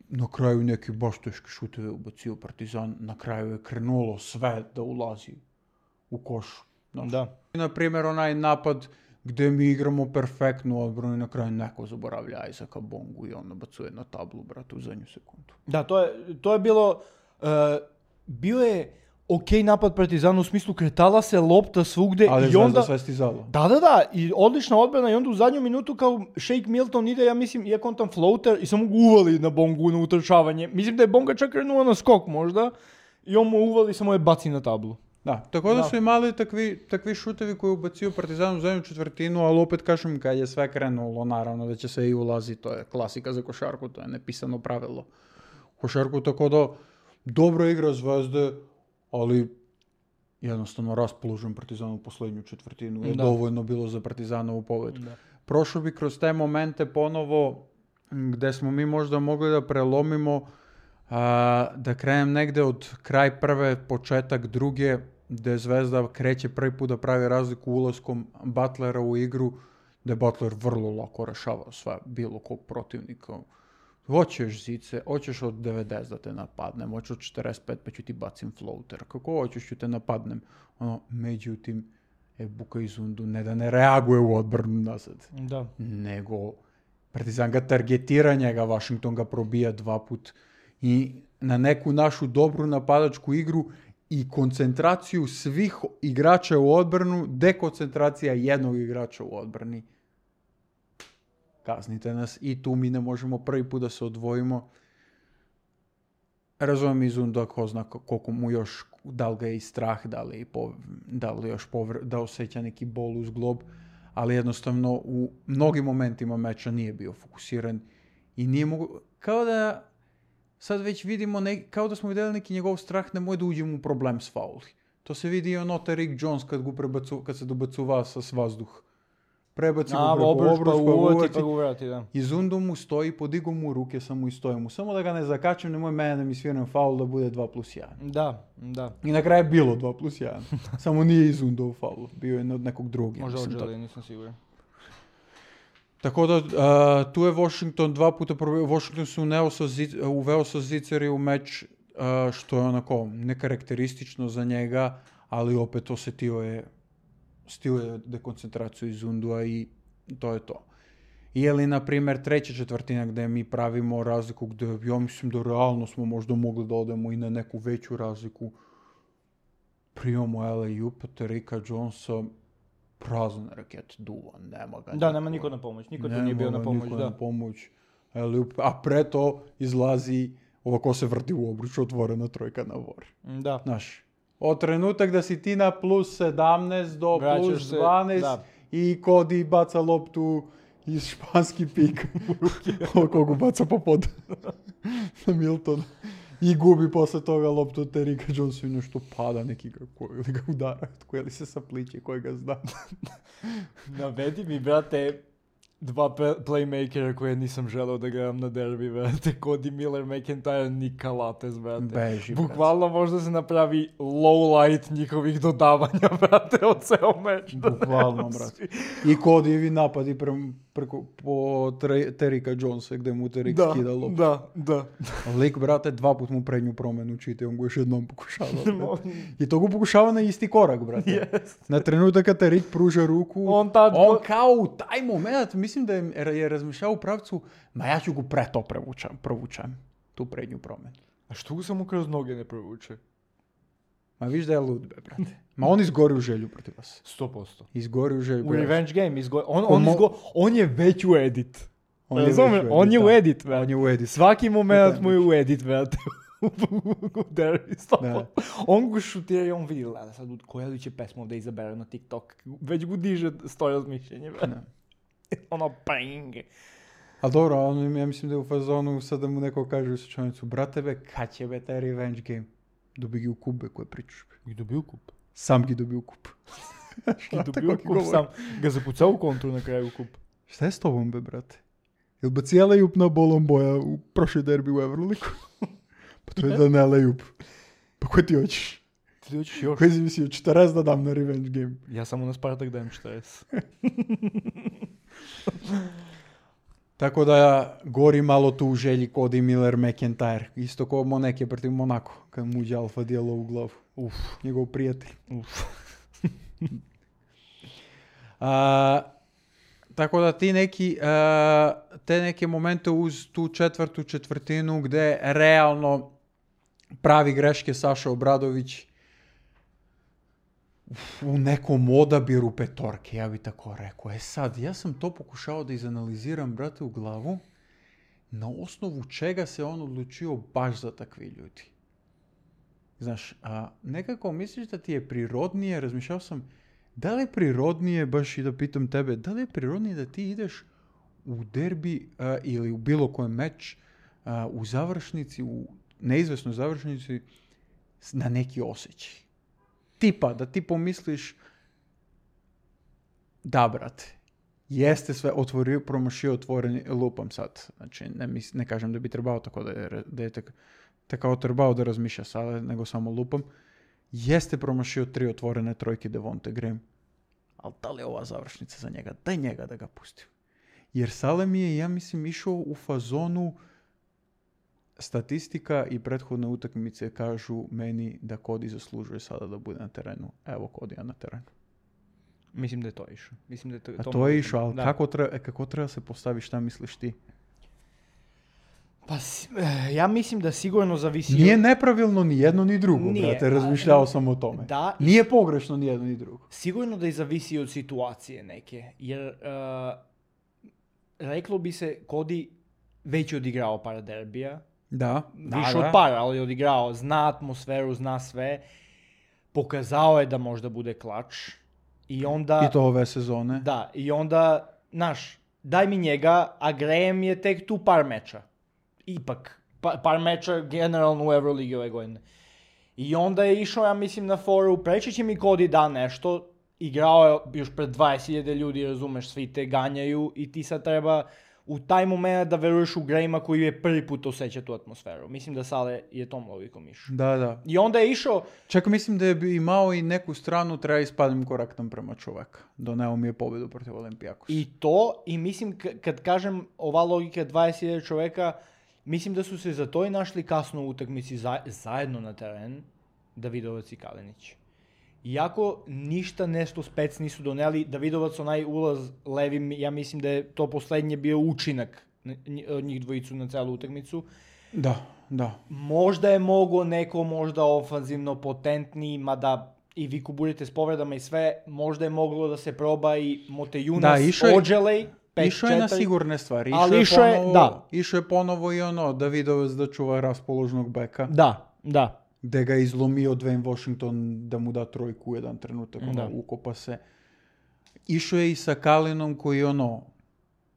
na kraju neki baš teški šuteve ubacio Partizan, na kraju je krenulo sve da ulazi u koš. Znaš. Da. Na primjer, onaj napad gdje mi igramo perfektnu odbranu i na kraju neko zaboravlja Isaka Bongu i on nabacuje na tablu, brate, u zadnju sekundu. Da, to je, to je bilo... Uh, bio je okej napad Partizana u smislu kretala se lopta svugde Ali i onda... sve stizalo. Da, da, da, i odlična odbrana i onda u zadnju minutu kao Shake Milton ide, ja mislim, iako on tam floater i samo ga uvali na Bongu na utrčavanje. Mislim da je Bonga čak krenuo na skok možda i on mu uvali, samo je baci na tablu. Da, tako da, Da. su imali takvi, takvi šutevi koji ubacio Partizan u zadnju četvrtinu, ali opet kažem kad je sve krenulo, naravno da će se i ulazi, to je klasika za košarku, to je nepisano pravilo. Košarku, tako da dobro igra Zvezde, ali jednostavno raspoložen Partizan u posljednju četvrtinu je Da. dovoljno bilo za Partizanovu pobedu. Da. Prošao bi kroz te momente ponovo gde smo mi možda mogli da prelomimo, a, da krenem negde od kraj prve, početak druge, gde Zvezda kreće prvi put da pravi razliku ulaskom Butlera u igru, gde Butler vrlo lako rešavao sve, bilo kog protivnika. Hoćeš zice, hoćeš od devedeset da te napadnem, hoćeš od četrdeset pet pa ću ti bacim floater, kako hoćeš ću te napadnem. Ono, međutim, e, Buka Izundu ne da ne reaguje u odbranu nazad, Da. nego Partizan ga targetira njega, Washington ga probija dva put i na neku našu dobru napadačku igru i koncentraciju svih igrača u odbranu, dekoncentracija jednog igrača u odbrani. Kaznite nas i tu mi ne možemo prvi put da se odvojimo. Razumijem Izunda ko zna koliko mu još, da li ga je i strah, da li, po, da li još povr, da osjeća neki bol uz glob, ali jednostavno u mnogim momentima meča nije bio fokusiran i nije mogu, kao da sad već vidimo, ne, kao da smo vidjeli neki njegov strah, nemoj da uđemo u problem s fauli. To se vidi i ono Rick Jones kad, gu prebacu, kad se dobacuva sa s vazduh. Prebaci A, go preko obruč, obruč, pa pa uvati, uvati. pa ga uvrati, da. I Zundu mu stoji, podigo mu ruke, samo i stoji mu. Samo da ga ne zakačem, nemoj mene da mi sviram faul da bude dva plus jedan. Da, da. I na kraju je bilo dva plus jedan. Samo nije Izundov faul. Bio je od nekog drugog. ja Možda mislim, odželi, tako. nisam siguran. Tako da, a, tu je Washington dva puta probio. Washington se uneo sa zic, uveo sa Ziceri u meč, a, što je onako nekarakteristično za njega, ali opet osetio je, stio je dekoncentraciju Izundua i to je to. Ili, na primjer, treća četvrtina gdje mi pravimo razliku, gdje ja mislim da realno smo možda mogli da odemo i na neku veću razliku. Primamo L A U, Terika Jonesa, prazan raket, duva, nema ga. Da, nema niko na pomoć, niko tu nije bio na pomoć, niko da. na pomoć. L A U, a pre to izlazi ovako se vrti u obruču, otvorena trojka na vor. Da. Znaš, od trenutak da si ti na plus sedamnaest do Vraćaš plus se, dvanaest da. i Cody baca loptu iz španski pik kogu baca po pod na Milton i gubi posle toga loptu od Terika Jonesa i nešto pada neki ga, ko, ili ga udara, koji li se sapliče, koji ga zna. Navedi mi, brate, dva pe- playmakera koje nisam želeo da gledam na derbi, brate. Cody Miller, McIntyre, Nika Lates, brate. Beži, brate. Bukvalno možda se napravi low light njihovih dodavanja, brate, od ceo meč. Bukvalno, brate. I Codyjevi napadi pre, preko, po tre, Terika Jonesa, gde mu Terik Da, skida loptu. da, da. Lik, brate, dva put mu prednju promenu čite, on go još jednom pokušava. Brate. I to go pokušava na isti korak, brate. Yes. Na trenutak kad Terik pruža ruku, On tad on go- kao u taj moment, mislim da je, je razmišljao u pravcu, ma ja ću go pre to prevučam, provučam, tu prednju promenu. A što ga samo kroz noge ne provuče? Ma viš da je lud, be, brate. Ma on izgori u želju protiv vas. sto posto. Izgori u želju. U protiv vas. Revenge Game izgo... on, Ko on, mo- izgo... on je već u edit. On je već Razumeš? u edit, On je u da. edit, brate. On je u edit. Svaki moment Da. mu je u edit, brate. U derbi, sto Da. posto. On go šutira i on vidi, gleda sad koja li će pesmu da izabere na TikTok. Već go diže stoje razmišljenje, brate. Da. Ono, ping. A dobro, on, ja mislim da je u fazonu sad da mu neko kaže u slučajnicu, brate be, kad će be taj revenge game? Dobi gi u kup, be, koje pričaš, be. I dobio kup. Sam gi dobi u kup. I dobio kup sam. Ga zapucao u kontru na kraju kup. Šta je s tobom, be, brate? Jel ba cijela jup na bolom boja u prošloj derbi u Euroliku? Pa to je da ne lejup. Pa koje ti hoćeš? Ti hoćeš još? Koje si mislio, četrdeset da dam na revenge game? Ja samo na Spartak dajem četrdeset. Tako da gori malo tu u želji Cody Miller, McIntyre. Isto kao Monek je protiv Monako, kad mu uđe alfa dijelo u glavu. Uf, Njegov prijatelj. uf. A, tako da ti neki, a, te neke momente uz tu četvrtu četvrtinu gde realno pravi greške Saša Obradović u nekom odabiru petorke, ja bi tako rekao. E sad, ja sam to pokušao da izanaliziram, brate, u glavu, na osnovu čega se on odlučio baš za takvi ljudi. Znaš, a nekako misliš da ti je prirodnije, razmišljao sam, da li je prirodnije, baš i da pitam tebe, da li je prirodnije da ti ideš u derbi a, ili u bilo kojem meč a, u završnici, u neizvesnoj završnici na neki osjećaj. Tipa, da ti pomisliš, da, brate, jeste sve otvorio, promašio otvoreni, lupam sad. Znači, ne, mis, ne kažem da bi trebao tako da je, da je tek, tekao trebao da razmišlja sada, nego samo lupam. Jeste promašio tri otvorene trojke Devonte Graham. Ali da li je ova završnica za njega? Daj njega da ga pustim. Jer Salem je, ja mislim, išao u fazonu statistika i prethodne utakmice kažu meni da Cody zaslužuje sada da bude na terenu. Evo Codyja na terenu. Mislim da je to išao. Mislim da je to, A to, to je išao, ali da. kako treba, kako treba se postavi, šta misliš ti? Pa ja mislim da sigurno zavisi... Nije nepravilno ni jedno ni drugo, Nije, brate, razmišljao sam o tome. Da, Nije pogrešno ni jedno ni drugo. sigurno da i zavisi od situacije neke, jer uh, reklo bi se Cody već je odigrao par derbija, Da, više da, od da. par, ali je odigrao, zna atmosferu, zna sve, pokazao je da možda bude klač i onda... I to ove sezone. Da, i onda, znaš, daj mi njega, a Graham je tek tu par meča. Ipak, pa, par meča generalno u Euroligi ove godine. I onda je išao, ja mislim, na foru, preći će mi Cody da nešto, igrao je još pred dvadeset hiljada ljudi, razumeš, svi te ganjaju i ti sad treba u taj moment da veruješ u Grahama koji je prvi put osjeća tu atmosferu. Mislim da Sale je tom logikom išao. Da, da. I onda je išao... Čak mislim da je bi imao i neku stranu, treba ispadnem korektan prema čoveka. Doneo mi je pobedu protiv Olimpijakosa. I to, i mislim, k- kad kažem ova logika dvadeset hiljada čoveka, mislim da su se za to i našli kasno u utakmici za, zajedno na teren, Davidovac i Kalinić. Iako ništa nešto spec nisu doneli, Davidovac onaj ulaz levim, ja mislim da je to poslednje bio učinak od njih dvojicu na celu utakmicu. Da, da. Možda je mogo neko možda ofanzivno potentniji, mada i vi kuburite s povredama i sve, možda je moglo da se proba i Motejunas, Da, išao je- Ođelej, pet Išao je na četiri. sigurne stvari. Ali je išao je- ponovo, da. Išao je ponovo i ono, Davidovac da čuva raspoložnog beka. Da, da. Gde ga je izlomio Dwayne Washington da mu da trojku u jedan trenutak, ono, Da. ukopa se. Išao je i sa Kalinom koji, ono,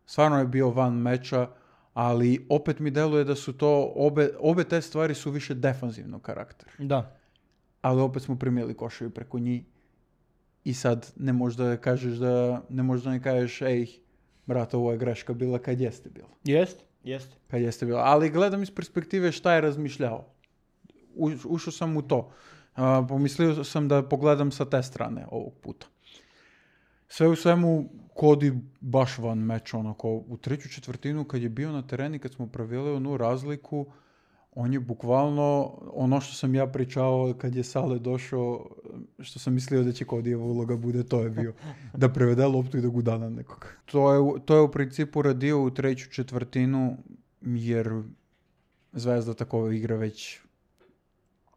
stvarno je bio van meča, ali opet mi deluje da su to, obe, obe te stvari su više defanzivnog karaktera. Da. Ali opet smo primili koševi preko njih i sad ne možeš da kažeš da, ne možeš da ne kažeš, ej, brate, ovo je greška bila kad jeste bila. Jest, jest. Kad jeste bila. Ali gledam iz perspektive šta je razmišljao. U, ušao sam u to. A, pomislio sam da pogledam sa te strane ovog puta. Sve u svemu, Cody baš van meča, onako, u treću četvrtinu kad je bio na tereni, kad smo pravili onu razliku, on je bukvalno, ono što sam ja pričao kad je Sale došao, što sam mislio da će Codyjeva uloga bude, to je bio. Da prevede loptu i da gudana nekog. To je, to je u principu radio u treću četvrtinu, jer Zvezda tako igra već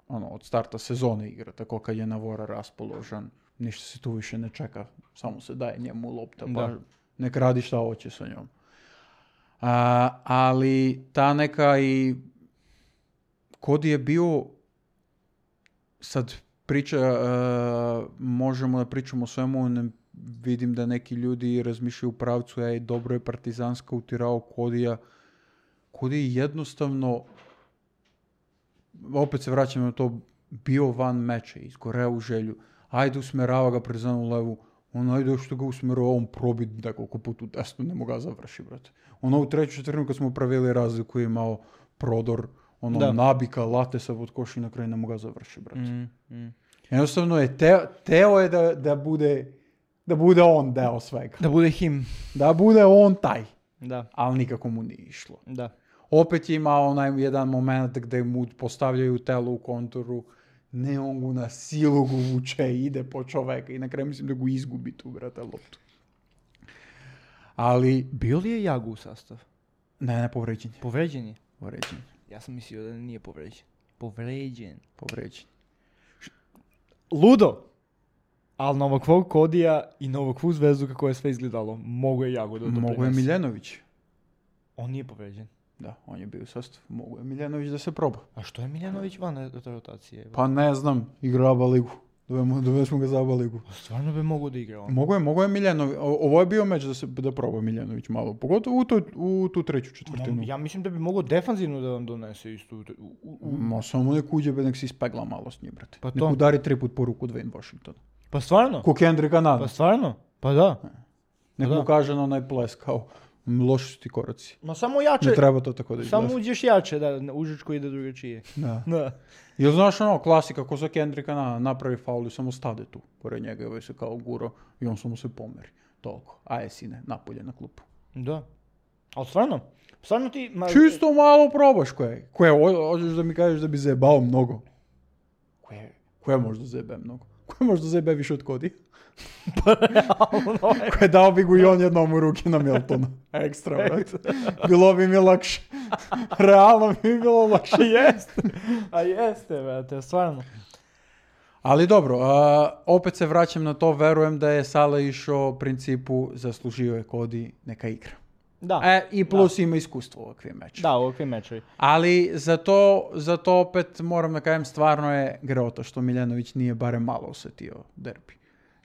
ono, od starta sezone igra, tako kad je Navora raspoložen. Ništa se tu više ne čeka, samo se daje njemu lopta, pa Da. nek radi šta hoće sa njom. A, ali ta neka i Cody je bio, sad priča, uh, možemo da pričamo o svemu, ne, vidim da neki ljudi razmišljaju u pravcu, ej, dobro je Partizanska utirao Codyja. Cody je jednostavno, opet se vraćam na to, bio van meča, izgoreo u želju. Ajde, usmerava ga Partizan u levu. On ajde što ga usmerava, on probi nekoliko puta u desnu, ne mogu ga završi, brate. Ono u treću četvrtinu kad smo pravili razliku je imao prodor, ono Da. nabika, late sa pod koš i na kraju ne mogu ga završi, brate. Mm, mm. Jednostavno je teo, teo je da, da bude da bude on deo svega. Da bude him. Da bude on taj, Da, ali nikako mu nije išlo. da. Opet je imao onaj jedan moment gde mu postavljaju telo u konturu, ne, on ga na silu ga vuče, ide po čoveka i na kraju mislim da ga izgubi tu, brate, loptu. Ali, Bio li je Jagu u sastav? ne, ne, povređen je. Povređen je. Povređen je. Ja sam mislio da nije povređen. Povređen. Povređen. Ludo! Ali na ovakvog Kodija i na ovakvu zvezdu kako je sve izgledalo, mogu je Jago da doprinese. Mogu je Miljanović. On nije povređen. Da, on je bio u sastavu. Mogu je Miljanović da se proba. A što je Miljanović van te rotacije? Pa ne znam, igra Aba ligu. Dovesmo ga za Aba ligu. Stvarno bi mogu da igra on. Mogu je, mogu je Miljanović. Ovo je bio meč da se da proba Miljanović malo. Pogotovo u, to, u tu treću četvrtinu. Ja mislim da bi mogo defanzivno da vam donese istu. U, u... Ma samo nek uđe, nek se ispegla malo s njim, brate. Pa nek to. udari tri put po ruku Dwayne Washington. Pa stvarno? Ko Kendricka Nana. Pa stvarno? Pa da. Nek pa mu da. kaže na onaj ples kao loši su ti koraci. Ma samo jače. Ne treba to tako da izgleda. Samo uđeš jače, da užičko ide drugačije. Da. Da. Jel znaš ono, klasika, ko za Kendricka Nana napravi faul i samo stade tu, pored njega i ovaj se kao guro i on samo se pomeri. Toliko. Aje sine, napolje na klupu. Da. Ali stvarno? Stvarno ti... Ma... Čisto malo probaš koje. Koje, ho- hoćeš da mi kažeš da bi zajebao mnogo. Koje, koje možda zajebe mnogo? Koje možda zajebe više od Kodija? Koje dao bi gu i on jednom u ruke na Miltonu. Ekstra, brate. Bilo bi mi lakše. Realno bi mi bilo lakše. A jeste. A jeste, brate, stvarno. Ali dobro, a, opet se vraćam na to, verujem da je Sale išao u principu zaslužio je Kodi neka igra. Da. E, i plus ima iskustvo u ovakvim mečima. Da, ovakvi mečevi. Ali za to, za to opet moram da kažem, stvarno je greota što Miljanović nije barem malo osetio derbi.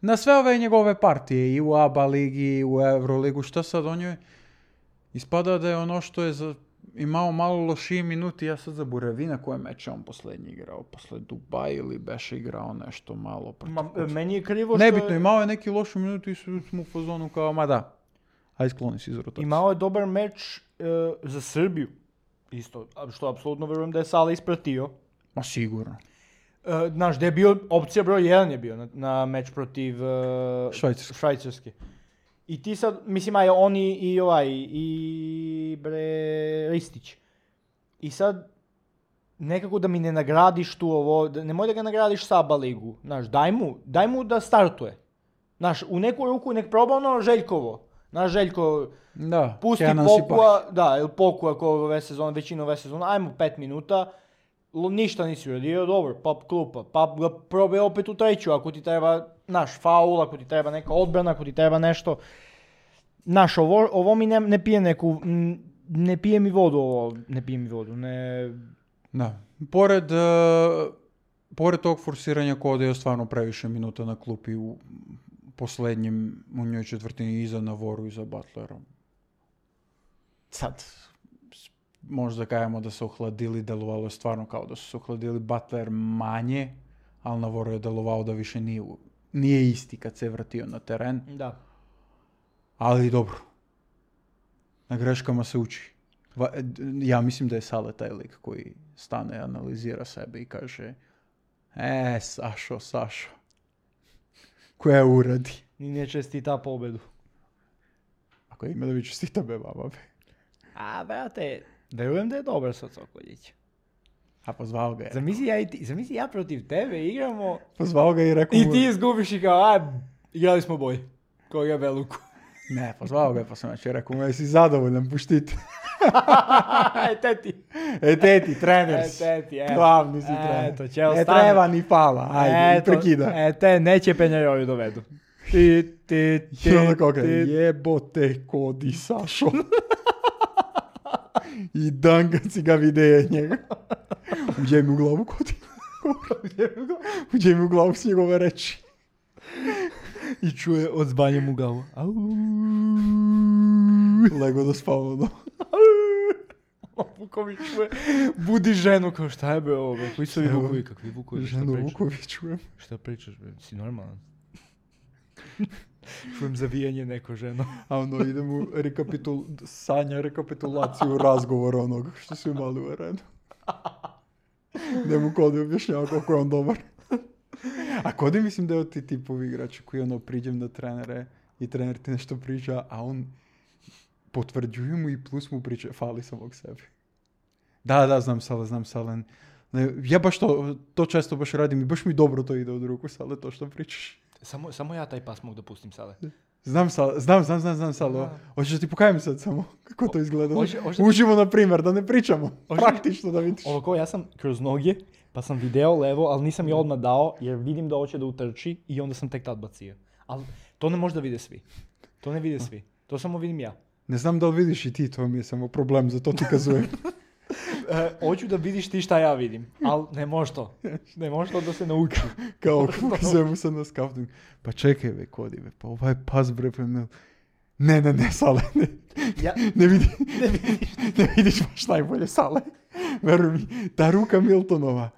Na sve ove njegove partije, i u Aba ligi, i u Euroligu, šta sad on je ispada da je ono što je za, imao malo lošiji minuti, ja sad zaboravim na koje meče on posljednji igrao, posle Dubai ili beše igrao nešto malo. Ma, meni je krivo što... Nebitno, imao je neki lošu minutu i su mu u fazonu kao, ma da, aj skloni se iz rotacije. Imao je dobar meč e, za Srbiju. Isto, a što apsolutno verujem da je Sala ispratio. Ma sigurno. E, znaš, gdje je bio, opcija broj jedan je bio na, na meč protiv e, Švajcarske. Švajcarske. I ti sad, mislim, aj oni i ovaj, i bre, Ristić. I sad, nekako da mi ne nagradiš tu ovo, da, nemoj da ga nagradiš sa Aba ligu. Znaš, daj mu, daj mu da startuje. Znaš, u neku ruku nek proba ono Željkovo. Znaš, Željko, Da, pusti Kenan Pokua, da, ili Pokua ko ove sezone, većinu ove sezone, ajmo pet minuta, L- ništa nisi uradio, dobro, pa klupa, pa ga probaj opet u treću, ako ti treba, naš faul, ako ti treba neka odbrana, ako ti treba nešto. Naš, ovo, ovo mi ne, ne pije neku, m, ne pije mi vodu ovo, ne pije mi vodu, ne... Da. Pored, uh, pored tog forsiranja Kode je stvarno previše minuta na klupi u posljednjem, u njoj četvrtini iza Navoru i za Butlerom. Sad, možda kajemo da se ohladili, delovalo je stvarno kao da su se ohladili, Butler manje, ali Navoru je delovao da više nije, u- nije isti kad se je vratio na teren. Da. Ali dobro, na greškama se uči. Va- Ja mislim da je Sale taj lik koji stane, analizira sebe i kaže e, Sašo, Sašo, koja uradi. Ni ne čestita pobedu. Ako ima da bi čestita be baba be. A, brate, verujem da je dobar sa Cokoljić. A pozvao ga je. Zamisli ja, i ti, zamisli ja protiv tebe igramo Pozvao ga i rekao i mu... ti izgubiš i kao, a, igrali smo boj. Kao ja Beluku. Ne, pozvao ga je pa sam znači rekao mu, jesi zadovoljan, puštite. e, teti. E, teti, trener E, si. teti, evo. Glavni si Eto, trener. ćeo Ne stane. treba ni fala, ajde, Eto, prekida. E, te neće penjarovi dovedu. Ti, ti, ti, I onda kao kaže, ti. jebote Kodi, Sašo. I dan kad si ga vide njega. Uđe mi u glavu Kodi. Uđe mi u glavu s njegove reči. I čuje od zbanjem u glavu. Au. Lego da spavno do. Vuković čuje. Budi ženu, kao šta je be ovo, be? Koji su ovi Evo, Vukovi, kakvi Vukovi, šta Ženu pričaš? Vuković čujem. Šta pričaš, be? Si normalan? Čujem zavijanje neko ženo. A ono ide mu rekapitul... sanja rekapitulaciju razgovora onog što su imali u arenu. Gdje mu Kodi objašnjava koliko je on dobar. A Kodi mislim da je od ti tipovi igrača koji ono priđem na trenere i trener ti nešto priča, a on potvrđuje mu i plus mu priča, fali samog sebi. Da, da, znam Sale, znam Sale. Ne, ja baš to, to često baš radim i baš mi dobro to ide od ruku, Sale, to što pričaš. Samo, samo ja taj pas mogu da pustim sada. Znam, sal, znam, znam, znam, znam Salo. Hoćeš da ti pokajem sad samo kako to izgleda? Hoće- hoće- Uživo, na primjer, da ne pričamo. Hoće- Praktično da vidiš. Ovako, ja sam kroz noge, pa sam video levo, ali nisam je odmah dao, jer vidim da hoće da utrči i onda sam tek tad bacio. Ali to ne može da vide svi. To ne vide svi. To samo vidim ja. Ne znam da li vidiš i ti, to mi je samo problem, zato ti kazujem. E, hoću da vidiš ti šta ja vidim, ali ne može to. Ne može to da se nauči. Kao, pokazujem sad na scouting. Pa čekaj, be, Kodi, be, pa ovaj pas, bre, pa ne... Ne, ne, ne, Sale, ne. Ja, Ne, vidi, ne, vidiš. ne vidiš baš najbolje, Sale. Veruj mi, ta ruka Miltonova,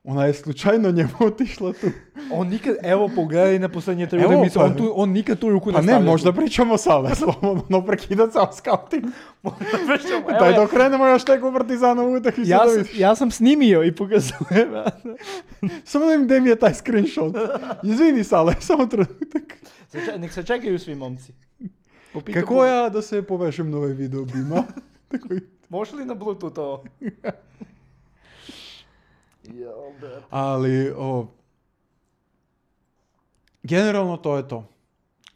ona je slučajno njemu otišla tu. on nikad, evo pogledaj na posljednje tri Evo, utakmice, pa- on, tu, on nikad tu ruku Pa ne ne, stavlja. možda pričamo Sale, slobodno, no prekidat sam scouting. Evo Daj je, dok krenemo još tek u Partizanovu utakmicu ja, da sam, vidiš. ja sam snimio i pokazujem. Samo da im gdje mi je taj screenshot. Izvini Sale, samo trenutak. Se če- Nek se čekaju svi momci. Popita Kako Bog- ja da se povežem na ovaj video bima? Tako i- Može li na Bluetooth ovo? Ali, o... Generalno to je to.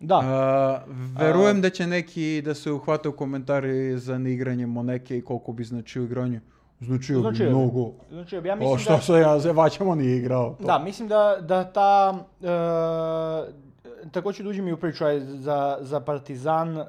Da. A, verujem A- da će neki da se uhvate u komentari za neigranje Moneke i koliko bi značio igranje. Značio bi Značio bi. mnogo. Znači, ja O, mislim što da... se ja zevaćamo nije igrao. To. Da, mislim da, da ta... E, također dođe mi u priču aj, za, za Partizan, e,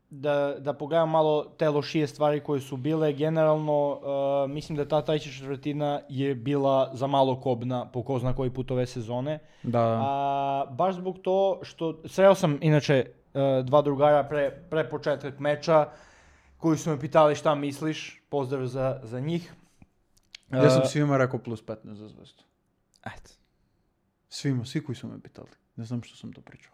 da, da pogledam malo te lošije stvari koje su bile. Generalno, e, mislim da ta treća četvrtina je bila za malo kobna po ko zna koji put ove sezone. Da. A, baš zbog to što... Sreo sam, inače, e, dva drugara pre, pre početak meča koji su me pitali šta misliš. Pozdrav za, za njih. Ja sam E, svima rekao plus petnaest za zvezdu. Eto. Svima, svi koji su me pitali. Ne znam što sam to pričao.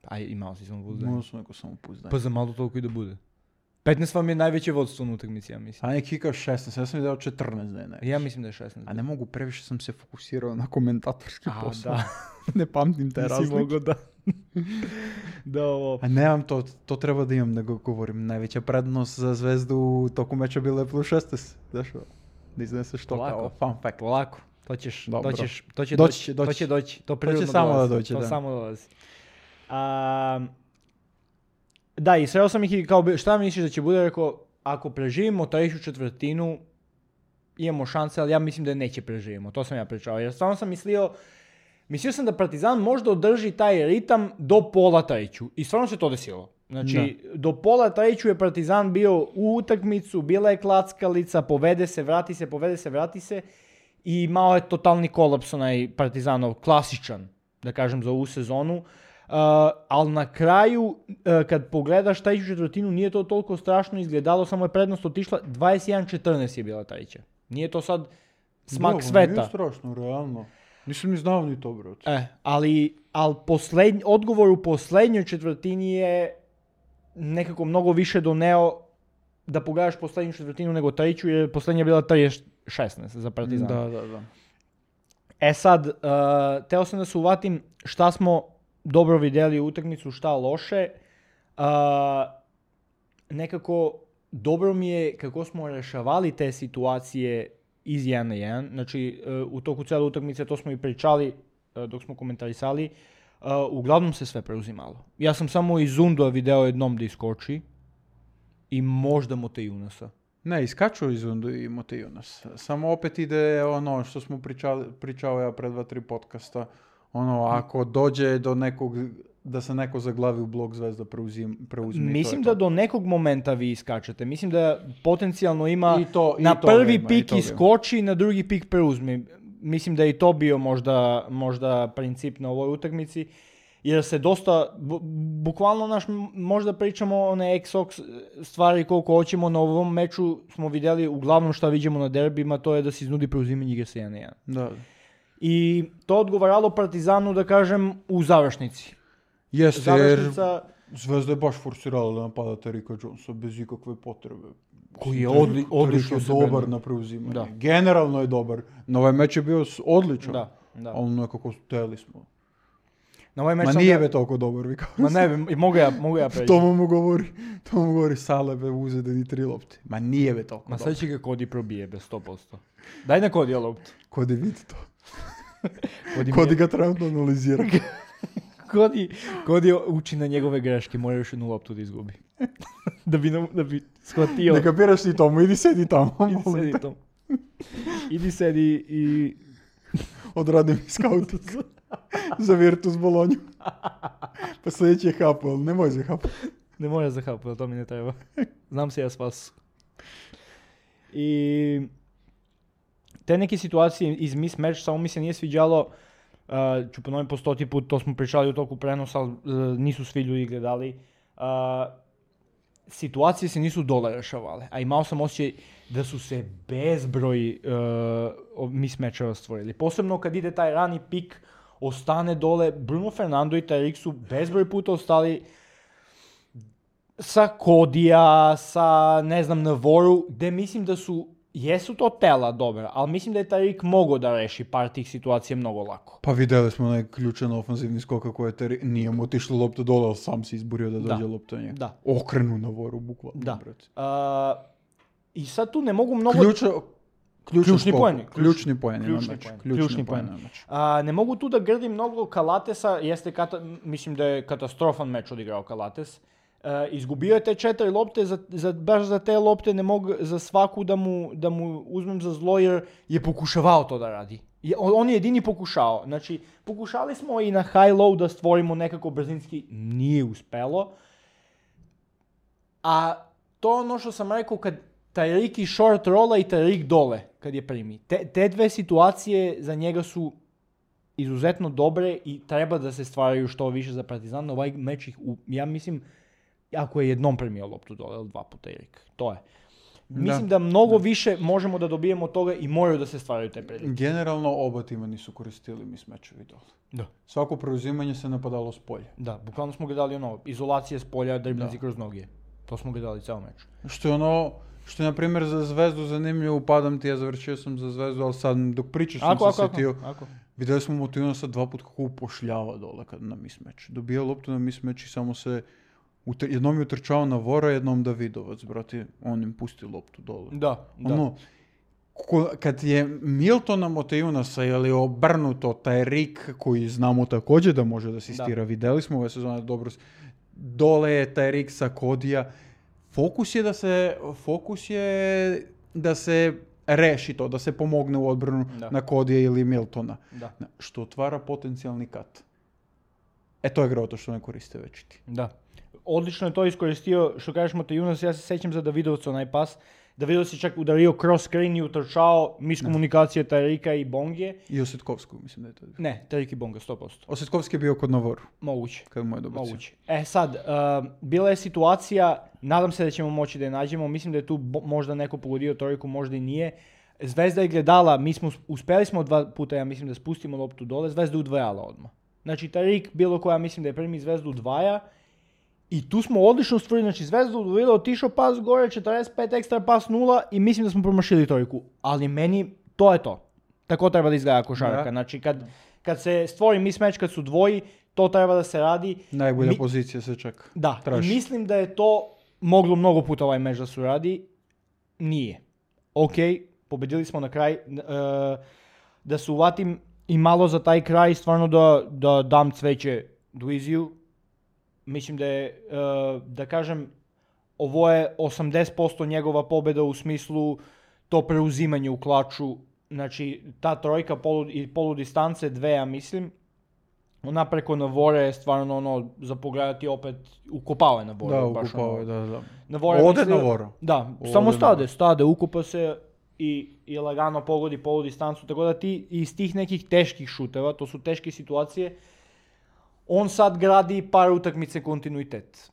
Aj, imao si samopouzdanje. Možda sam neko samopouzdanje. Pa za malo toliko i da bude. petnaest vam je najveće vodstvo na utakmici, ja mislim. A neki kao šesnaest, ja sam mi dao četrnaest da je nešto. Ja mislim da je šesnaest. A ne mogu, previše sam se fokusirao na komentatorski A, posao. da. Ne pamtim te Nisi razlike. mogao da... da ovo... A nemam to, to treba da imam, nego govorim. Najveća prednost za zvezdu u toku meča bila je plus šesnaest. Znaš, da izneseš to Polako. kao fun fact. Polako. To ćeš, Dobro. to ćeš, to će Doći doći, će, to doći će doći, to će prirodno samo dolazi, da dođe, to da. samo dolazi. A, da, i sreo sam ih i kao, bi- šta misliš da će bude, rekao, ako preživimo treću četvrtinu, imamo šanse, ali ja mislim da neće preživimo, to sam ja pričao, jer stvarno sam mislio, mislio sam da Partizan možda održi taj ritam do pola treću, i stvarno se to desilo. Znači, do pola treću je Partizan bio u utakmicu, bila je klackalica, povede se, vrati se, povede se, vrati se, i imao je totalni kolaps onaj Partizanov, klasičan, da kažem, za ovu sezonu. Uh, ali na kraju, uh, kad pogledaš treću četvrtinu, nije to toliko strašno izgledalo, samo je prednost otišla, dvadeset jedan četrnaest je bila treća. Nije to sad smak Dobro, sveta. Nije strašno, realno. Nisam ni znao ni to, brate. E, ali, ali poslednj, odgovor u poslednjoj četvrtini je nekako mnogo više doneo da pogledaš poslednju četvrtinu nego treću, jer poslednja je bila trideset šesnaest za Partizan. Da, da, da. E sad, uh, teo sam da se uvatim šta smo dobro vidjeli u utakmicu, šta loše. Uh, nekako dobro mi je kako smo rešavali te situacije iz jedan na jedan. Znači, uh, u toku cijele utakmice, to smo i pričali uh, dok smo komentarisali, uh, uglavnom se sve preuzimalo. Ja sam samo iz Undua video jednom da iskoči i možda Mote Junasa. Ne, iskaču iz Undu i Mote Junas. Samo opet ide ono što smo pričali, pričao ja pred dva, tri podcasta. Ono, ako dođe do nekog, da se neko zaglavi u blok zvezda preuzim, preuzmi. Mislim to je da to. do nekog momenta vi iskačete. Mislim da potencijalno ima I to- i na toga prvi ima, i pik toga ima. iskoči, na drugi pik preuzmi. Mislim da je i to bio možda, možda princip na ovoj utakmici. Jer se dosta, bu, bukvalno naš, m- možda pričamo one X-Ox stvari koliko hoćemo, na ovom meču smo vidjeli uglavnom šta vidimo na derbima, to je da se iznudi preuzimanje igre sa jedan na jedan. Da. I to odgovaralo Partizanu, da kažem, u završnici. Jeste, jer Završnica Zvezda je baš forsirala da napada Terika Jonesa bez ikakve potrebe. koji je Terik- odli, Terik odlično je se dobar branio. na preuzimanje. Da. Generalno je dobar. Na ovaj meč je bio s- odličan. Da, da. Ali nekako teli smo. Na ovaj meč Ma sam nije ga- be toliko dobar, vi kao. Ma ne bi, mogu ja, mogu ja preći. To mu govori, to mu govori Sale be uzede ni tri lopte. Ma nije be toliko Ma dobar. sad će ga Kodi probije bez sto posto. Daj na Kodija loptu. Kodi vidi to. Kodi, mi Kodi je, ga trenutno analizira. Коди, Коди учи на njegove greške, mora još jednu loptu da izgubi. da bi, nam- da bi shvatio. Ne kapiraš ti tomu, idi sedi tamo. Idi sedi tom. Idi sedi i... Odradi mi scouting za Virtus Bolonju. Pa sljedeći je Hapo, ali nemoj za Hapo. Ne mora za hapu, ali to mi ne treba. Znam se ja spas. I... Te neke situacije iz mismatch, samo mi se nije sviđalo, uh, ću ponovim po stoti put, to smo pričali u toku prenosa, ali uh, nisu svi ljudi gledali. Uh, situacije se nisu dole rešavale, a imao sam osjećaj da su se bezbroj uh, mismatcheva stvorili. Posebno kad ide taj rani pik, ostane dole, Bruno Fernando i Tariq su bezbroj puta ostali sa Kodija, sa ne znam Navoru, gde mislim da su, jesu to tela dobra, ali mislim da je Tariq mogao da reši par tih situacija mnogo lako. Pa vidjeli smo onaj ključan ofenzivni skoka koji je teri... nije mu otišlo lopta dole, ali sam se izborio da dođe Da. lopta njega. Da. Okrenu na voru, bukvalno. Da. brate. Uh, I sad tu ne mogu mnogo... Ključa, ključan Ključni skok. poeni. Ključni poeni Ključni na meč. poeni. Ključni, Ključni poeni poeni. na meč. A, ne mogu tu da grdim mnogo Kalatesa, jeste kata, mislim da je katastrofan meč odigrao Kalates. E, izgubio je te četiri lopte, za, za, baš za te lopte ne mogu za svaku da mu, da mu uzmem za zlo jer je pokušavao to da radi. Je, on, on je jedini pokušao. Znači, pokušali smo i na high-low da stvorimo nekako brzinski, nije uspelo. A to ono što sam rekao kad Tariq i short rolla i Tariq dole kad je primi. Te, te dve situacije za njega su izuzetno dobre i treba da se stvaraju što više za Partizan. Ovaj meč ih, u, ja mislim, ako je jednom primio loptu dole, ili dva puta Tariq. To je. Mislim da, da mnogo da. više možemo da dobijemo od toga i moraju da se stvaraju te prilike. Generalno oba tima nisu koristili mismatchevi dole. Da. Svako preuzimanje se napadalo s polja. Da, bukvalno smo gledali ono, izolacije s polja, driblinzi kroz noge. To smo gledali ceo meč. Što je ono, što je na primjer za Zvezdu zanimljivo, upadam ti, ja završio sam za Zvezdu, ali sad dok pričaš sam ako, se ako, sjetio. Ako. Vidjeli smo Motivnosa dva put kako upošljava dole kad na mismatch. Dobija loptu na mismatch i samo se, utr- jednom je utrčao na Vora, jednom Davidovac, brati, on im pusti loptu dole. Da, da. Ono, ko, kad je Miltona Motivnosa ili obrnuto Tariq, koji znamo također da može da asistira, vidjeli smo ove sezone dobro, dole je Tariq sa Kodija. Fokus je da se, fokus je da se reši to, da se pomogne u odbranu da. na Kodija ili Miltona. Da. Što otvara potencijalni kat. E to je groto što ne koriste već ti. Da. Odlično je to iskoristio, što kažeš Motivunas, ja se sećam za Davidovca onaj pas. Davidovac je čak udario cross screen i utrčao miskomunikacije Tariqa i Bongije. I Osjetkovskog, mislim da je to. Ne, Tariq i Bonga, sto posto. Osjetkovski je bio kod Navoru. Moguće. Kad mu je dobacio. Moguće. E sad, uh, bila je situacija, nadam se da ćemo moći da je nađemo, mislim da je tu bo- možda neko pogodio trojku, možda i nije. Zvezda je gledala, mi smo, uspeli smo dva puta, ja mislim da spustimo loptu dole, Zvezda je udvajala odmah. Znači Tariq, bilo koja, mislim da je prvi Zvezdu udvaja, i tu smo odlično stvorili, znači Zvezda udvojila, otišao pas gore, četrdeset pet ekstra pas nula i mislim da smo promašili trojku. Ali meni, to je to. Tako treba da izgleda košarka. Da. Znači kad, kad se stvori mismatch, kad su dvoji, to treba da se radi. Najbolja Mi, pozicija se čak Da, traži. i mislim da je to moglo mnogo puta ovaj meč da se radi. Nije. Ok, pobedili smo na kraj. Uh, da se uvatim i malo za taj kraj, stvarno da, da dam cveće Duiziju. Mislim da je, uh, da kažem, ovo je osamdeset posto njegova pobjeda u smislu to preuzimanje u klaču. Znači, ta trojka polu, i poludistance, dve, ja mislim, ona preko Navore je stvarno ono, za pogledati opet, ukopao je Navore. Da, baš ukopao ono, je, da, da. Navore Ode mislio- Navora. Da, Ode samo stade, Navora. stade, ukupa se i, i lagano pogodi poludistancu, tako da ti iz tih nekih teških šuteva, to su teške situacije, on sad gradi par utakmice kontinuitet.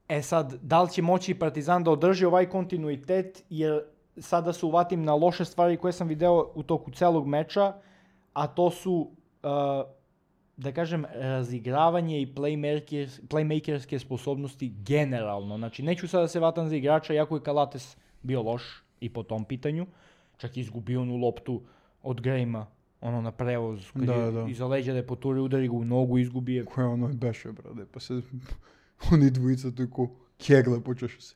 E sad, da li će moći Partizan da održi ovaj kontinuitet, jer sada se uvatim na loše stvari koje sam video u toku celog meča, a to su, uh, da kažem, razigravanje i playmakers, playmakerske sposobnosti generalno. Znači, neću sada se vatam za igrača, jako je Kalates bio loš i po tom pitanju. Čak je izgubio onu loptu od Grejma, ono na prevoz, kad Da, je da. iza leđa da je poturi, udari ga u nogu, izgubi je. Koje ono beše, brade, pa se oni dvojica tako kegle počešu se.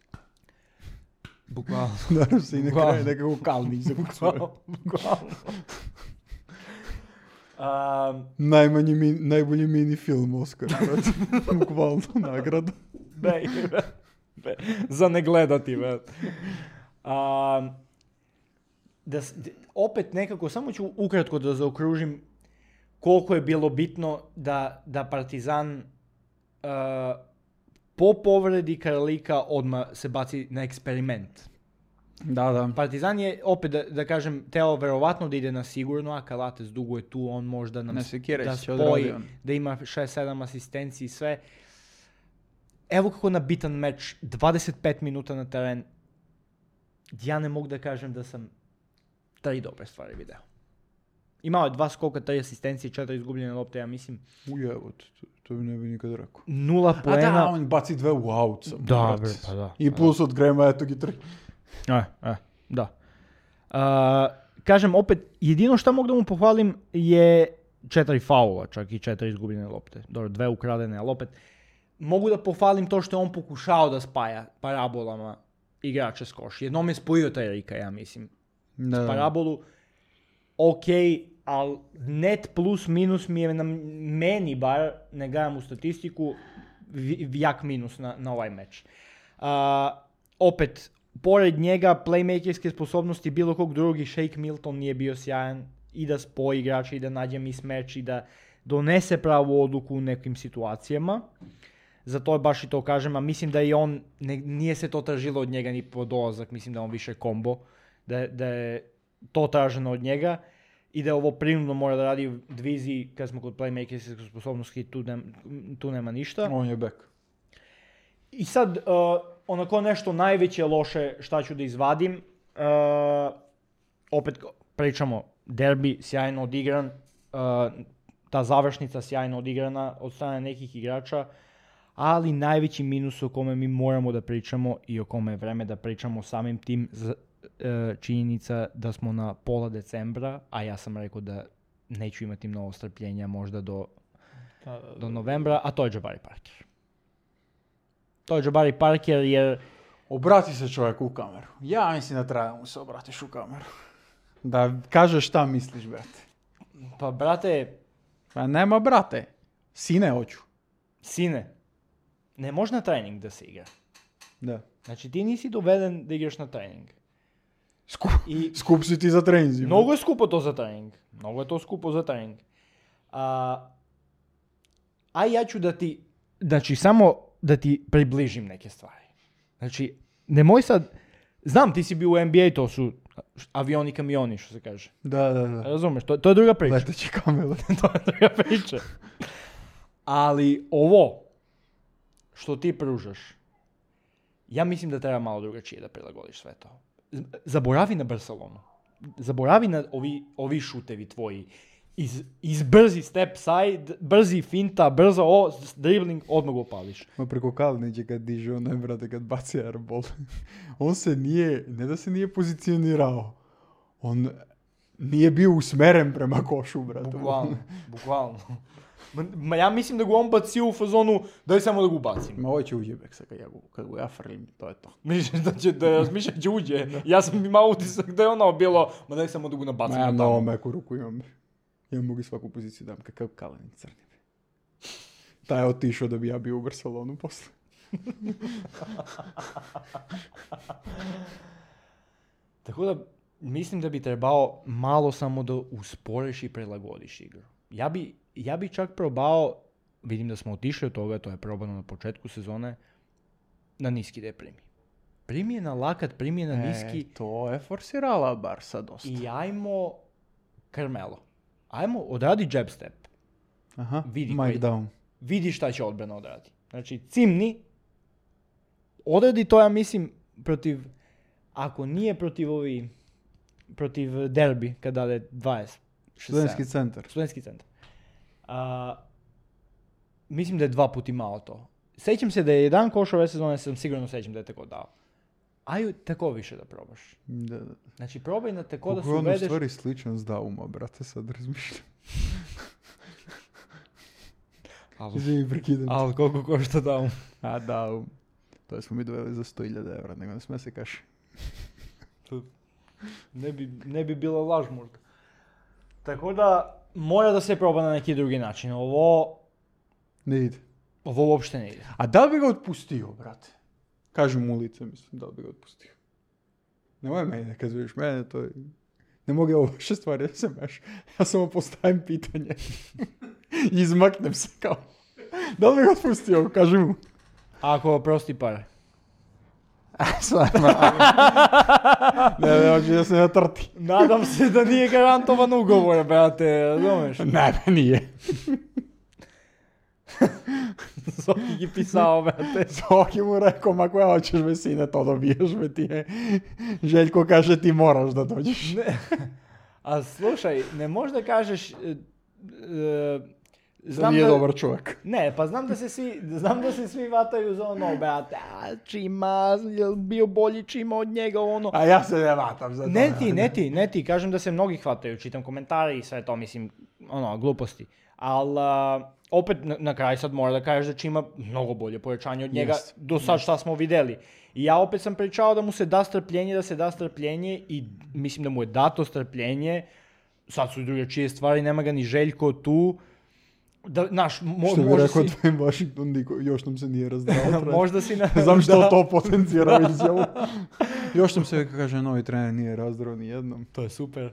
Bukvalno. Naravno se i na Bukvalno. kraju nekako kalni za Bukvalno. Bukvalno. A, Najmanji mi, najbolji mini film Oscar, brate. Bukvalno nagrada. be, be, be, za ne gledati, be. A, da, s- d- opet nekako, samo ću ukratko da zaokružim koliko je bilo bitno da, da Partizan a, po povredi Karolika odmah se baci na eksperiment. Da, da. Partizan je, opet da, da kažem, teo verovatno da ide na sigurno, a Kalates dugo je tu, on možda nam Ne s- sekiraj da se, odradi spoji, on. da ima šest sedam asistenciji i sve. Evo kako na bitan meč, dvadeset pet minuta na teren, ja ne mogu da kažem da sam tri dobre stvari video. Imao je dva skoka, tri asistencije, četiri izgubljene lopte, ja mislim, Ujevo, to, to bi ne bi nikad rekao. nula A poena. da, on baci dve u out samo, Da, brate. bre, pa da. I plus od Grema, eto gi tri. E, e, da. A, kažem, opet, jedino što mogu da mu pohvalim je četiri faula, čak i četiri izgubljene lopte. Dobro, dve ukradene, ali opet, mogu da pohvalim to što je on pokušao da spaja parabolama igrače s koš. Jednom je spojio taj Rika, ja mislim. Da. Parabolu, ok, ali net plus minus mi je na meni bar, ne gledam u statistiku, vi- jak minus na, na ovaj meč. A, opet, pored njega, playmakerske sposobnosti bilo kog drugi, Shake Milton nije bio sjajan i da spoji igrača i da nađe mismeč i da donese pravu odluku u nekim situacijama. Zato je baš i to kažem, a mislim da i on, ne, nije se to tražilo od njega ni po dolazak, mislim da je on više kombo, da, je- da je to traženo od njega i da je ovo prinudno mora da radi u diviziji, kad smo kod playmakerske sposobnosti, tu, nem, tu nema ništa. On je back. I sad, uh, onako nešto najveće loše šta ću da izvadim, uh, opet pričamo, derbi sjajno odigran, uh, ta završnica sjajno odigrana od strane nekih igrača, ali najveći minus o kome mi moramo da pričamo i o kome je vreme da pričamo samim tim z, uh, činjenica da smo na pola decembra, a ja sam rekao da neću imati mnogo strpljenja možda do, do novembra, a to je Jabari Parker. To je Jabari Parker jer Obrati se čovjek u kameru. Ja mislim da treba da mu se obratiš u kameru. Da kažeš šta misliš, brate. pa brate, Pa nema brate. Sine hoću. sine, ne može na trening da se igra. Da. Znači ti nisi doveden da igraš na trening. Skup, I skup si ti za treninzi. mnogo je skupo to za trening. Mnogo je to skupo za trening. A, a ja ću da ti, znači samo da ti približim neke stvari. Znači, nemoj sad, znam ti si bio u N B A, to su avioni kamioni, što se kaže. Da, da, da. Razumeš, to, to je druga priča. Leteći kamele. To je druga priča. Ali ovo što ti pružaš, ja mislim da treba malo drugačije da prilagodiš sve to. Z- Zaboravi na Barcelonu. Zaboravi na ovi, ovi šutevi tvoji. Iz, iz brzi step side, brzi finta, brzo o, s- dribbling, odmah ga opališ. Ma preko Kalnića kad diže onaj, brate, kad baci airball. On se nije, ne da se nije pozicionirao. On nije bio usmeren prema košu, brate. Bukvalno, bukvalno. Ma, ma ja mislim da ga on bacio u fazonu, daj samo da ga ubacim. Ma ovo će uđe Beksa kad ja, gu- kad ga ja frlim, to je to. Misliš da će da razmišlja da će uđe? Ja sam imao utisak da je ono bilo, ma daj samo da ga Ma nabacim ja na mnogo tamo. meku ruku imam. Ja mogu svaku poziciju dam, kakav Kalinić crni. Taj je otišao da bi ja bio u Barcelonu posle. Tako da mislim da bi trebao malo samo da usporiš i prilagodiš igru. Ja bi, ja bi čak probao, vidim da smo otišli od toga, to je probano na početku sezone, na niski da je primi. Primi je na lakat, primi je na niski. E, to je forsirala Barsa dosta. I ajmo Carmelo. Ajmo, odradi jab step. Aha, vidi Mike koji- down. Vidi šta će odbrana odradi. Znači, cimni, odradi to, ja mislim, protiv, ako nije protiv ovi, protiv derbi, kada je dvadeset šest Studentski sedam. centar. Studentski centar. A, mislim da je dva puta imao to. Sećam se da je jedan koš ove sezone, sam sigurno sećam da je tako dao. Ajde tako više da probaš. Da, da. Znači, probaj na tako da Kako se je on u uvedeš. stvari sličan s Dauma, brate, sad razmišljam. Ali, Izvini, prekidam. ali koliko košta Daum? A, Daum. To smo mi doveli za sto hiljada evra, nego ne sme se kaši. Ne bi, ne bi bila laž možda. Tako da, mora da se proba na neki drugi način. Ovo, Ne ide. ovo uopšte ne ide. A da li bi ga otpustio, brate? Kažu mu u lice, mislim, da li bi ga otpustio. Nemoj meni da kazuješ mene, to je... Ne mogu ja ovo vaše stvari da se meš. Ja samo postavim pitanje. I izmaknem se kao. Da li bi ga otpustio, kaži mu. Ako oprosti pare. Stvarno. Ne, ne, hoće da se ne trti. Nadam se da nije garantovan ugovor, brate, razumeš? Ne, ne, nije. Zoki gi pisao, brate. Zoki mu rekao, ma koja hoćeš me sine, to dobiješ me ti je. Željko kaže ti moraš da dođeš. Ne. A slušaj, ne možda kažeš... e, e, Znam nije da... dobar čovjek. Ne, pa znam da se svi, znam da se svi vataju za ono, brate, a Čima, je bio bolji Čima od njega, ono... A ja se ne vatam za to. Ne ti, ne ti, ne ti, kažem da se mnogi hvataju, čitam komentare i sve to, mislim, ono, gluposti. Ali, opet, na, na kraju sad mora da kažeš da Čima mnogo bolje pojačanje od njega, Jest, do sad šta smo videli. I ja opet sam pričao da mu se da strpljenje, da se da strpljenje i mislim da mu je dato strpljenje. Sad su i druge čije stvari, nema ga ni Željko tu. Da, naš, mo, što bi možda rekao si... tvojim Washington, niko, još nam se nije razdrao. možda si na... Ne znam što da. to potencira izjavu. Još nam se kaže, novi trener nije razdrao ni jednom. To je super.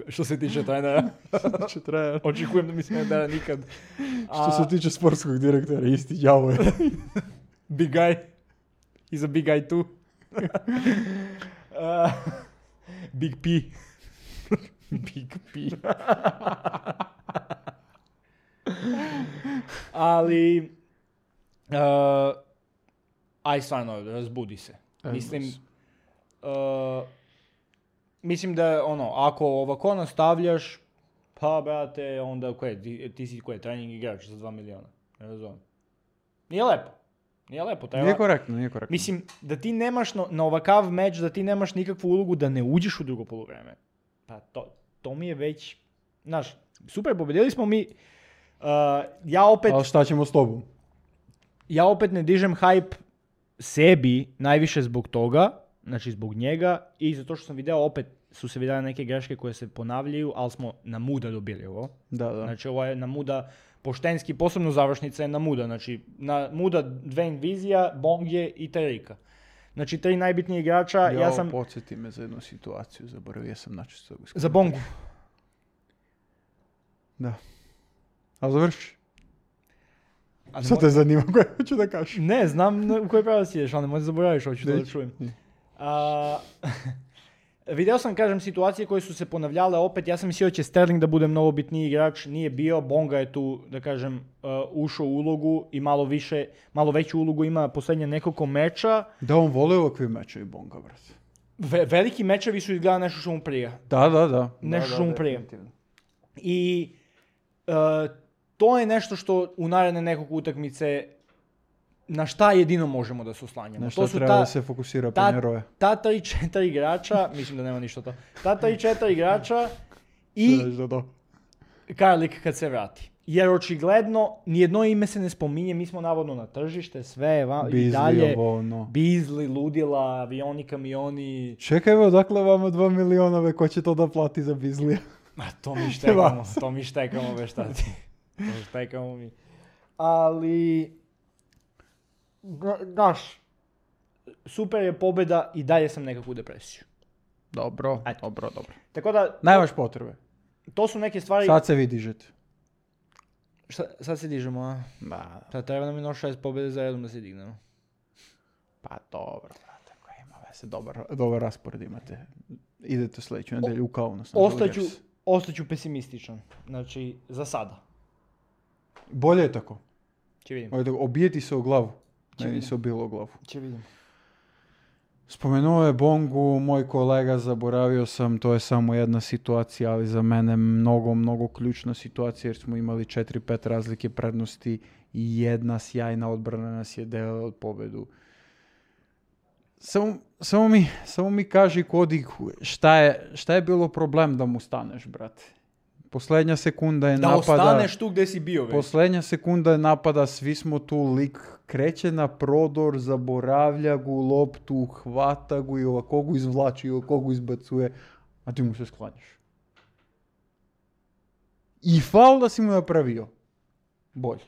Što se tiče trenera. Znači trener. Očekujem da mi se ne da nikad. A... Što se tiče sportskog direktora, isti đavo je. Big guy. He's a big guy too. uh, big P. Big P. Ali, uh, aj stvarno, razbudi se. Ajmo Mislim, se. uh, mislim da ono, ako ovako nastavljaš, pa brate, onda koje, ti, ti si koje, trening igrač za dva miliona. Ne razumijem. Nije lepo. Nije lepo. Treba... Nije korektno, nije korektno. Mislim, da ti nemaš na, na ovakav meč, da ti nemaš nikakvu ulogu da ne uđeš u drugo poluvreme. Pa to, to mi je već, znaš, super, pobedili smo mi. Uh, ja opet... Ali šta ćemo s tobom? Ja opet ne dižem hype sebi najviše zbog toga, znači zbog njega i zato što sam video opet su se vidjeli neke greške koje se ponavljaju, ali smo na muda dobili ovo. Da, da. Znači ovo je na muda poštenski, posebno završnica je na muda, znači na muda Dwayne Vizija, Bongje i Terika. Znači tri najbitnije igrača, ja, ja sam... podsjeti me za jednu situaciju, zaboravio sam načisto. Za Bongu. Da. A završi. A Sad mo- te zanima koje hoću da kažeš. Ne, znam na- u koji pravac ideš, ali nemoj da zaboraviš, hoću to da Neću. čujem. A, video sam, kažem, situacije koje su se ponavljale opet, ja sam mislio da će Sterling da bude mnogo bitniji igrač, nije bio, Bonga je tu, da kažem, uh, ušao u ulogu i malo više, malo veću ulogu ima posljednje nekoliko meča. Da, on vole ovakve mečevi Bonga, brate. Ve- veliki mečevi su izgleda nešto što mu prija. Da, da, da. Nešto da, što da, mu prije. definitivno. I uh, to je nešto što u naredne nekog utakmice na šta jedino možemo da se oslanjamo. Na to šta su treba ta, da se fokusira ta, Penjeroje. ta tri četiri igrača, mislim da nema ništa to, ta tri četiri igrača i Da, da. Karlik kad se vrati. Jer očigledno nijedno ime se ne spominje, mi smo navodno na tržište, sve va, i Beasley, dalje. ovo, ono. Beasley, ludila, avioni, kamioni. Čekaj, evo, dakle vama dva miliona, ve, ko će to da plati za Beasley? Ma to mi štekamo, to mi štekamo, ve šta ti. To štekamo mi. Ali, znaš, super je pobjeda i dalje sam nekakvu depresiju. Dobro, Eto. dobro, dobro. Tako da, Nemaš potrebe. to su neke stvari... Sad se vi dižete. Šta, sad se dižemo, a? Da, Sad treba nam je još šest pobjede za redom da se dignemo. pa dobro, brate, ako ima veze, dobar, dobar raspored imate. Idete sljedeću nedelju u Kaunas. na Ostaću, Dodgers. ostaću pesimističan. Znači, za sada. Bolje je tako. Će vidim. Ovdje, obijeti se u glavu. Će Meni vidim. se obilo u glavu. Će vidim. Spomenuo je Bongu, moj kolega, zaboravio sam, to je samo jedna situacija, ali za mene mnogo, mnogo ključna situacija jer smo imali četiri pet razlike prednosti i jedna sjajna odbrana nas je delala od pobedu. Samo, samo, mi, samo mi kaži Kodi šta je, šta je bilo problem da mu staneš, brate? Posljednja sekunda je Da napada... ostaneš tu gdje si bio već. Posljednja sekunda je napada, svi smo tu, lik kreće na prodor, zaboravlja gu loptu, hvata gu i ovako gu izvlači i ovako gu izbacuje, a ti mu se sklanjaš. i faul da si mu napravio. Bolje.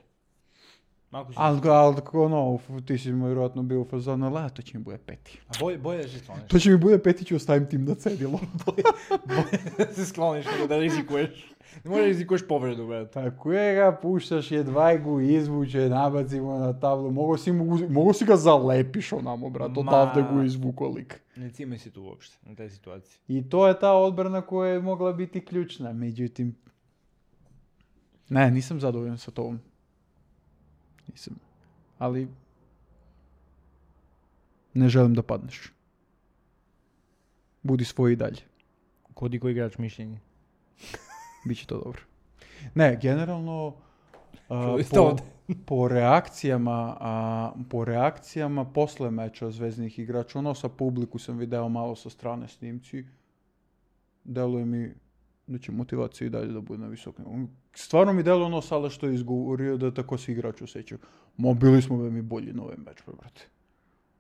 Малко си. Ali, ali ono, ti si mu vjerojatno bio u fazonu, la, to će mi bude peti. А бој бој да се склониш. To će mi bude peti, ću ostavim tim na cedilo. Бој да се склониш, него да ризикуеш. Не може да ризикуеш повреду, бе. Tako je ga, puštaš jedva go izvuče, nabaci mu na tablu, mogo si, mogu, mogo si ga zalepiš onamo, brat, odavde Ma- go izvuko lik. Не цимай си ту уопште, на тај ситуација. I to je ta odbrana koja je mogla biti ključna, međutim... Ne, nisam zadovoljan sa tom. Nisam. Ali... Ne želim da padneš. Budi svoj i dalje. Коди кој играч мишљење. Biće to dobro. Ne, generalno... a, Čuli ste po, ovdje. po reakcijama, a, po reakcijama posle meča zveznih igrača, ono sa publiku sam video malo sa strane snimci, deluje mi da će motivacija i dalje da bude na visokom. Stvarno mi deluje ono Sale što je izgovorio da tako se igrač osjećaju. Ma bili smo ve mi bolji na ovaj meč, brate.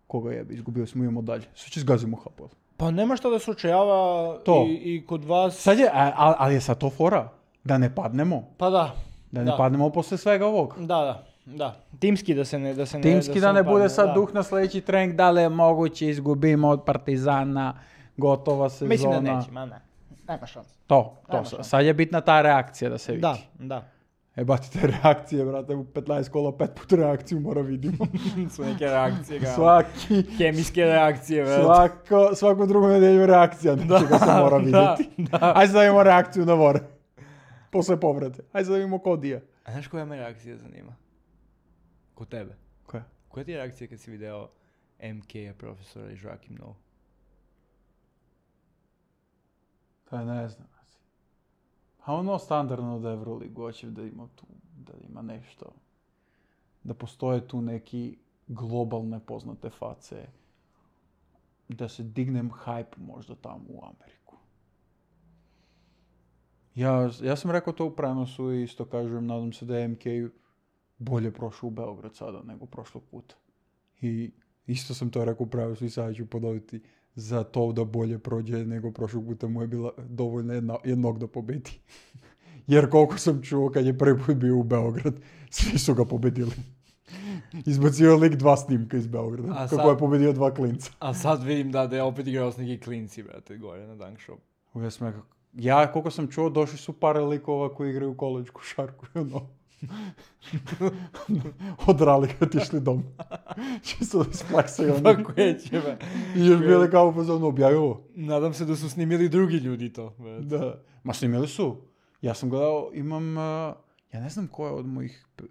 Koga jebe, izgubili smo, idemo dalje. Sve će zgazimo H P L. Па нема што да се очајава То. и, и код вас. Sad je, a, a, ali je sad to fora? Da ne padnemo? Па да. Da ne Da. padnemo posle svega ovog? Да, да, да. Тимски да се не да се не Timski da ne bude падне, sad да. duh na sljedeći trening, da li je moguće izgubimo od Partizana, gotova sezona. Mislim da neće, ma ne. Nema šanse. To, to. Nema sa- šanse. Sad je bitna ta reakcija da se vidi. Да, да. E, bati te reakcije, brate, u petnaest kola pet put reakciju mora vidimo. Su neke reakcije, ga. Svaki, Хемиски реакcije, брат. svako, svaku drugu nedelju reakcija, nečega se mora da, vidjeti. da. Ajde da vidimo reakciju na vore. Posle povrede. Ajde da vidimo Kodija. А знаеш која ме реакција занима? Ко тебе. Koja? Која ти е реакција кога си видео М К професора и Joakim Now? Pa ne znam. A ono standardno da Euroligu hoće da ima tu, da ima nešto. Da postoje tu neki globalne poznate face. Da se dignem hype možda tamo u Ameriku. Ja, ja sam rekao to u prenosu i isto kažem, nadam se da je M K bolje prošao u Beograd sada nego prošlog puta. I isto sam to rekao u prenosu i sada ću ponoviti. Za to da bolje prođe nego prošlog puta mu je bila dovoljna jedna, jednog da pobedi. Jer koliko sam čuo kad je prvi put bio u Beograd, svi su ga pobedili. Izbacio lik dva snimka iz Beograda, A kako sad- je pobedio dva klinca. А сад видим да да е опет играо с неки клинци, брате, горе на Dunk Shop. Ja, sam rekao, ja koliko sam čuo, došli su par likova koji igraju koleđ košarku. Ono. Odrali kad otišli dom. Čisto da isplaksaju Па oni. кој ќе бе? I još bili kao u fazonu, objavi ovo. Надам се да су снимили други људи то, брате. Da. Ma snimili su. Ja sam gledao, imam, uh, ja ne znam ko je od mojih p-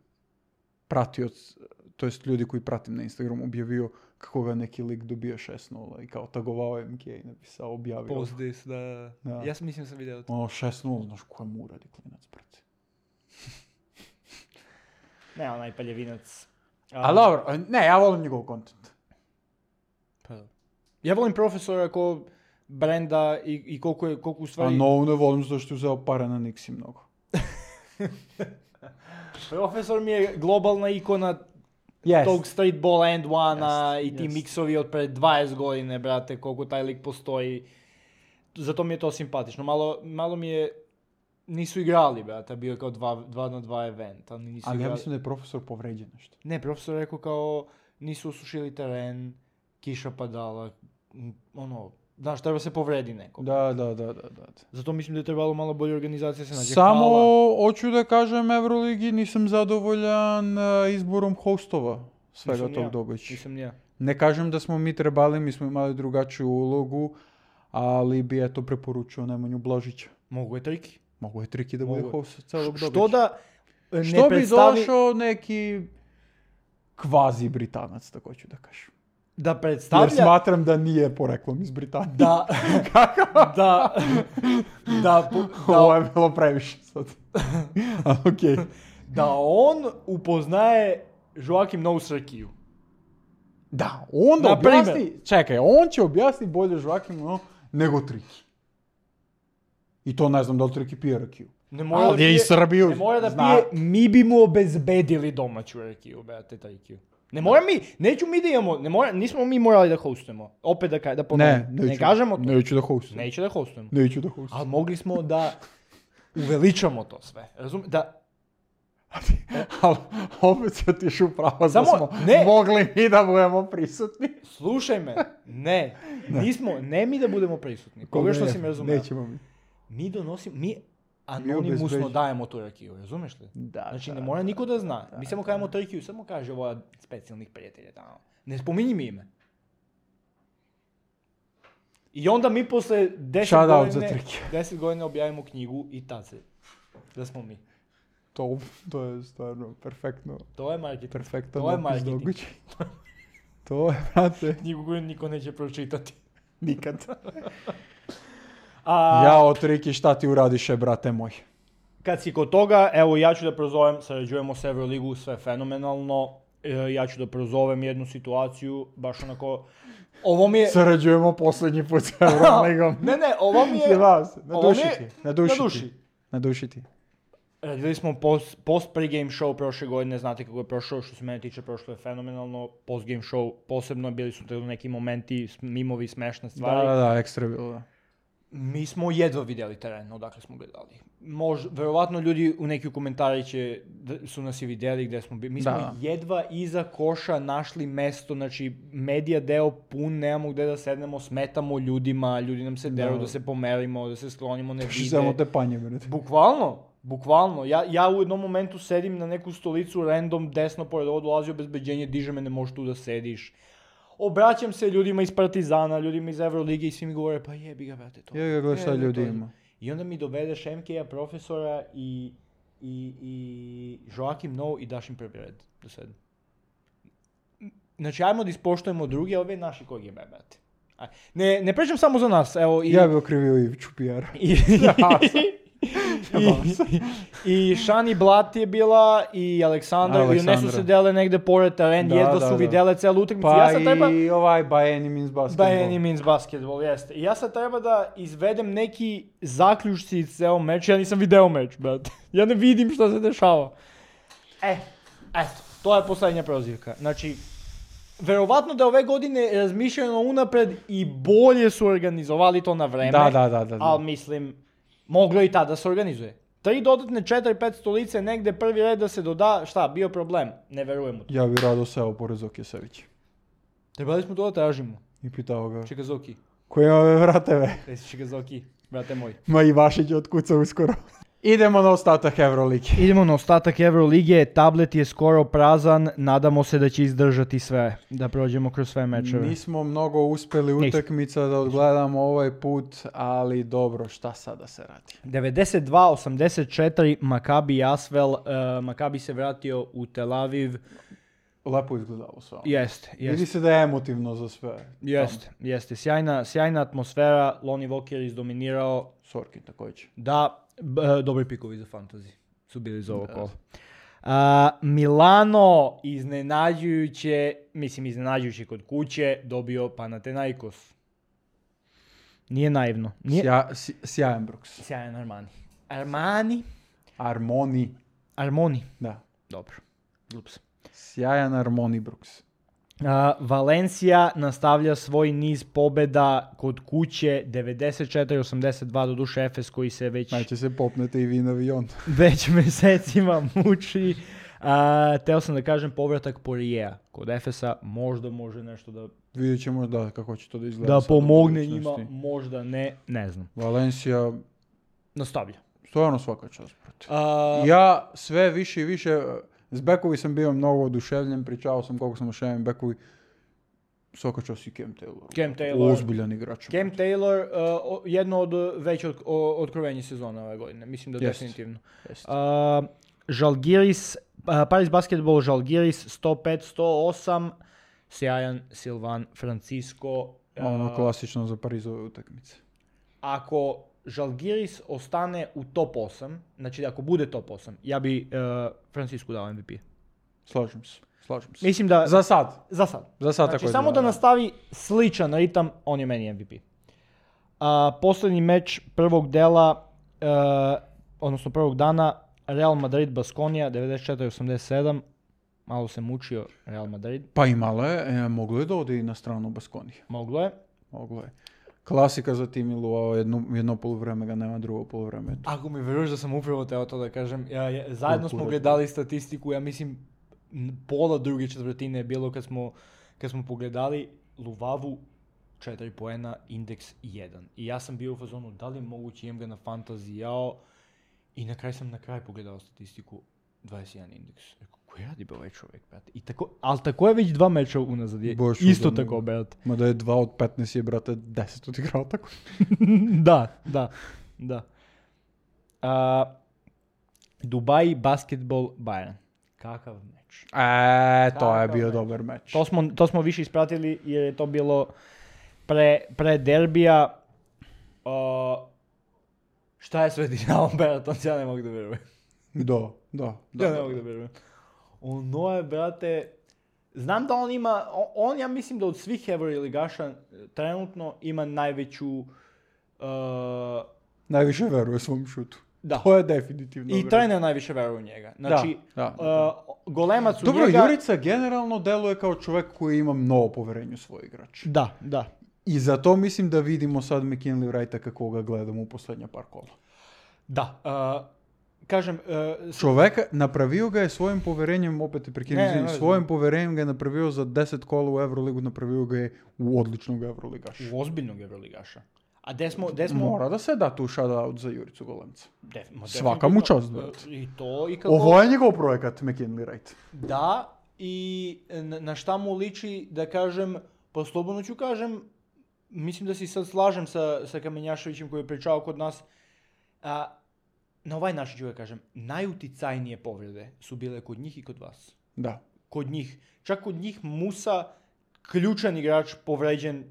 pratioc, to jest ljudi koji pratim na Instagramu, objavio kako ga neki lik dobio šest nula i kao tagovao M K i napisao, objavio. Post this, да. Да. Јас мислим сам видео тоа. Ono šest nula, znaš koja mu uradi klinac, brate. Не, онај палјевинац. A dobro, ne, ja volim njegov kontent. Па да. Ја волим професора ко бренда и, и колку е колку A уствари novu ne volim zato što je uzeo pare na Nixi mnogo. професор ми е глобална икона Yes. тог стритбол and one Jest, и ти jest. миксови од пред дваесет години, брате, колку тај лик постои. Зато ми е тоа симпатично. Мало мало ми е нису играли, брате, био као два, два на два евента, ни нису Ali ja играли. mislim da je profesor povređen nešto. Не, професор рекол као нису осушили терен, киша падала, м, оно, знаеш, треба се повреди некој. Da, da, da, da, da. Зато мислим да е требало мало боља организација се наđe. Samo Хала. hoću da kažem Euroligi, nisam zadovoljan uh, izborom hostova svega Nisam tog ja, događaja. Nisam ni ja. Ne kažem da smo mi trebali, mi smo imali drugačiju ulogu, ali bi eto preporučio Nemanju Blažića. Могу е трики. Mogu je Triki da bude Mogu. host celog događaja. Што да не Što bi представи došao neki kvazi Britanac, tako ću da kažem. да Jer представља smatram da nije poreklom iz Britanije. да да да по- Ovo да je bilo previše sad. Ali okej. да он упознае Joakim Now Сркију. Da, on da Na primjer. objasni, čekaj, on će objasniti bolje Joakim no, nego Triki. I to ne znam da li Triki pije rakiju. Не мора Ali да je пие, iz Srbiju. не мора да zna. пие, ми би му обезбедили домаќу ракију, брате, тајкију. Не мора ми, неќу ми да имамо, не мора, нисмо ми морали да хостуемо. Опет да ка- да Ne, поновим. neću, Не кажемо тоа. Neću da hostim. Неće да хостуемо. Neću da hostim. Ali mogli smo da uveličamo to sve. Razum, da, Ali opet se otiš u pravo da Samo- smo ne. mogli mi da budemo prisutni. slušaj me, ne, nismo, ne mi da budemo prisutni, pogrešno si me razumio. Nećemo mi. Mi donosimo, mi anonimusno obezbeđujemo. dajemo tu rakiju, razumeš li? Da, Znači, da, ne mora da, niko da zna. da, Mi samo da. kažemo trikiju, samo kaže ova specijalnih prijatelja tamo. Ne spominji mi ime. I onda mi posle deset Shout out za godine, trikiju. deset godina objavimo knjigu i tad se, da smo mi. To, to je stvarno perfektno. To je marketing. Perfektan To je opis marketing. događaja. To je, brate, Knjigu koju niko neće pročitati. nikad. A, Ja od Riki, šta ti uradiše, brate moj? Kad si kod toga, evo ja ću da prozovem, sarađujemo s Euroligu, sve fenomenalno. E, ja ću da prozovem jednu situaciju, baš onako, ovo mi je... Sarađujemo posljednji put s Euroligom. Ne, ne, ovo mi je... Ti vas, na ovo mi duši je- ti, na duši na duši. ti. Na duši ti. Radili smo post, post pre-game show prošle godine, znate kako je prošao, što se mene tiče prošlo je fenomenalno, post-game show posebno, bili su tu neki momenti, s- mimovi, smešne stvari. Da, da, da, ekstra je bilo, da. Mi smo jedva vidjeli teren, odakle smo gledali. Mož, verovatno ljudi u neki komentari će, da su nas i vidjeli gdje smo bili. Mi smo Da. jedva iza koša našli mesto, znači medija deo pun, nemamo gdje da sednemo, smetamo ljudima, ljudi nam se deru Da. da se pomerimo, da se sklonimo, ne Što vide. samo te panje, brate. Bukvalno, bukvalno. Ja, ja u jednom momentu sedim na neku stolicu, random, desno pored ovo dolazi obezbeđenje, diže me, ne možeš tu da sediš. Obraćam se ljudima iz Partizana, ljudima iz Evrolige i svi mi govore, pa jebi ga, brate, to. Ja ga gledaj šta je, ljudi to je. ima. I onda mi dovedeš em ke a profesora i, i, i Joakim Noe i daš im prvi red do sedam. Znači, ajmo da ispoštujemo druge, ove naši kog je brate. Aj. Ne, ne pričam samo za nas, evo i... Ja bi okrivio Iviću P R. I, i, i Šani Blat je bila i Aleksandra, i one su Aleksandra. se dele negde pored teren, Da, jedva da, su da. vidjele celu utakmicu. Pa Ja sad treba... i ovaj by any means basketball. By any means basketball, jeste. I ja sad treba da izvedem neki zaključci iz ceo meč, ja nisam video meč, brate. Ja ne vidim šta se dešava. E, eto, to je poslednja prozivka. Znači, verovatno da ove godine razmišljeno unapred i bolje su organizovali to na vreme. Da, da, da, da. da. Ali mislim, moglo je i tada da se organizuje. Tri dodatne, četiri, pet stolice, negde prvi red da se doda, šta, bio problem? Ne verujem u to. Ja bi rado seo pored Zoki Sević. Trebali smo to da tražimo. I pitao ga, Čikazoki. koji ove vrate ve? Reci Čikazoki, brate moj. Ma i Vašić je otkucao uskoro. Idemo na ostatak Euroligi. Idemo na ostatak Euroligije, tablet je skoro prazan, nadamo se da će izdržati sve, da prođemo kroz sve mečeve. Nismo mnogo uspjeli Nismo. utakmica da odgledamo ovaj put, ali dobro, šta sada se radi? devedeset dva osamdeset četiri Maccabi Asvel, uh, Maccabi se vratio u Tel Aviv, Lepo izgledalo sve. ono. jeste, Vidi jeste. se da je emotivno za sve. Jeste, jeste. Sjajna, sjajna atmosfera, Lonnie Walker izdominirao, Sorkin također. da, b- e, dobri pikovi za fantasy su bili za ovo kolo. A, Milano iznenađujuće, mislim iznenađujuće kod kuće, dobio Panathinaikos. Nije naivno. Nije... Sja, sj- sjajan Brooks. Sjajan Armani. Armani? Armoni. Armoni. Da. Dobro. Ups. Sjajan Armoni Brooks. A, Valencija nastavlja svoj niz pobjeda kod kuće, devedeset četiri osamdeset dva, do duše Efes koji se već, Znači se popnete i vi na avion. već mjesecima muči. A, teo sam da kažem povratak Porijeja kod Efesa, možda može nešto da, Vidjet ćemo da kako će to da izgleda. da sad u pomogne njima, budućnosti. možda ne, ne znam. Valencija, Nastavlja. stvarno svaka čast, brate. A, Ja sve više i više, s bekovi sam bio mnogo oduševljen, pričao sam koliko sam oduševljen bekovi. Svaka čast i Cam Taylor. Cam Taylor. Ozbiljan igrač. Cam Taylor, uh, o- jedno od već od, o, otkrovenje sezona ove godine, mislim da Jest. definitivno. Jest. Uh, Žalgiris, uh, Paris Basketball Žalgiris sto pet sto osam, sjajan Silvan Francisco. Uh, Ono klasično za Parizove utakmice. Ako Žalgiris ostane u top osam, znači ako bude top osam, ja bi uh, Francisco dao em ve pe. Slažem se. Slažem se. Mislim da... Za sad. Za sad. Za sad Znači, tako samo da izgleda. nastavi sličan ritam, on je meni em ve pe. A, posljednji meč prvog dela, e, odnosno prvog dana, Real Madrid Baskonija, devedeset četiri osamdeset sedam. Malo se mučio Real Madrid. Pa imalo je, e, moglo je da ode i na stranu Baskonije. Moglo je. Moglo je. Klasika za Tim Iluao, jedno, jedno polovreme ga nema, drugo polovreme. Ako mi veruješ da sam upravo teo to da kažem, ja, ja, zajedno smo Kultura. gledali statistiku, ja mislim n- pola druge četvrtine je bilo kad smo, kad smo pogledali Luvavu četiri poena, indeks jedan. I ja sam bio u fazonu, da li je moguće, imam ga na fantasy, jao, i na kraju sam na kraju pogledao statistiku, dvadeset jedan indeks. Rekao, ko radi be ovaj čovjek, brate? I tako, ali tako je već dva meča unazad, je Boš isto udano. tako, brate. Ma da je dva od petnaest je, brate, deset odigrao tako. Da, da, da. A, Dubai Basketball Bayern. Kakav meč. E, to je Kakav bio meč. dobar meč. To smo, to smo više ispratili jer je to bilo pre, pre derbija. Uh, šta je sve dinamo Bertons, ja ne mogu da verujem. Da, da, da. Ja ne da. mogu da verujem. Ono je, brate, znam da on ima, on, on ja mislim da od svih Euroligaša trenutno ima najveću, uh, Najviše veruje svom šutu. da, To je definitivno. i veruje. trener najviše veruje u njega. Znači, da, da. uh, golemac u Dobro, njega... Jurica generalno deluje kao čovjek koji ima mnogo poverenja u svoj igrač. Da, da. I zato mislim da vidimo sad McKinley Wrighta kako ga gledamo u posljednja par kola. Da, uh, kažem... Uh, s- Čoveka, napravio ga je svojim poverenjem, opet je prekinem, Ne, ne, izvini, ne, svojim poverenjem ga je napravio za deset kola u Euroligu, napravio ga je u odličnog Euroligaša. u ozbiljnog Euroligaša. A gde smo... Gde smo Mora da se da tu shoutout za Juricu Golemca. Def, ma Svaka mu definitivno, čast, brate. uh, I to, i kako... Ovo je njegov projekat, McKinley Wright. Da, i na, na šta mu liči, da kažem, pa slobodno ću kažem, mislim da se sad slažem sa, sa Kamenjaševićem koji je pričao kod nas, a, na ovaj način ću ga kažem, najuticajnije povrede su bile kod njih i kod vas. Da. Kod njih, čak kod njih Musa, ključan igrač, povređen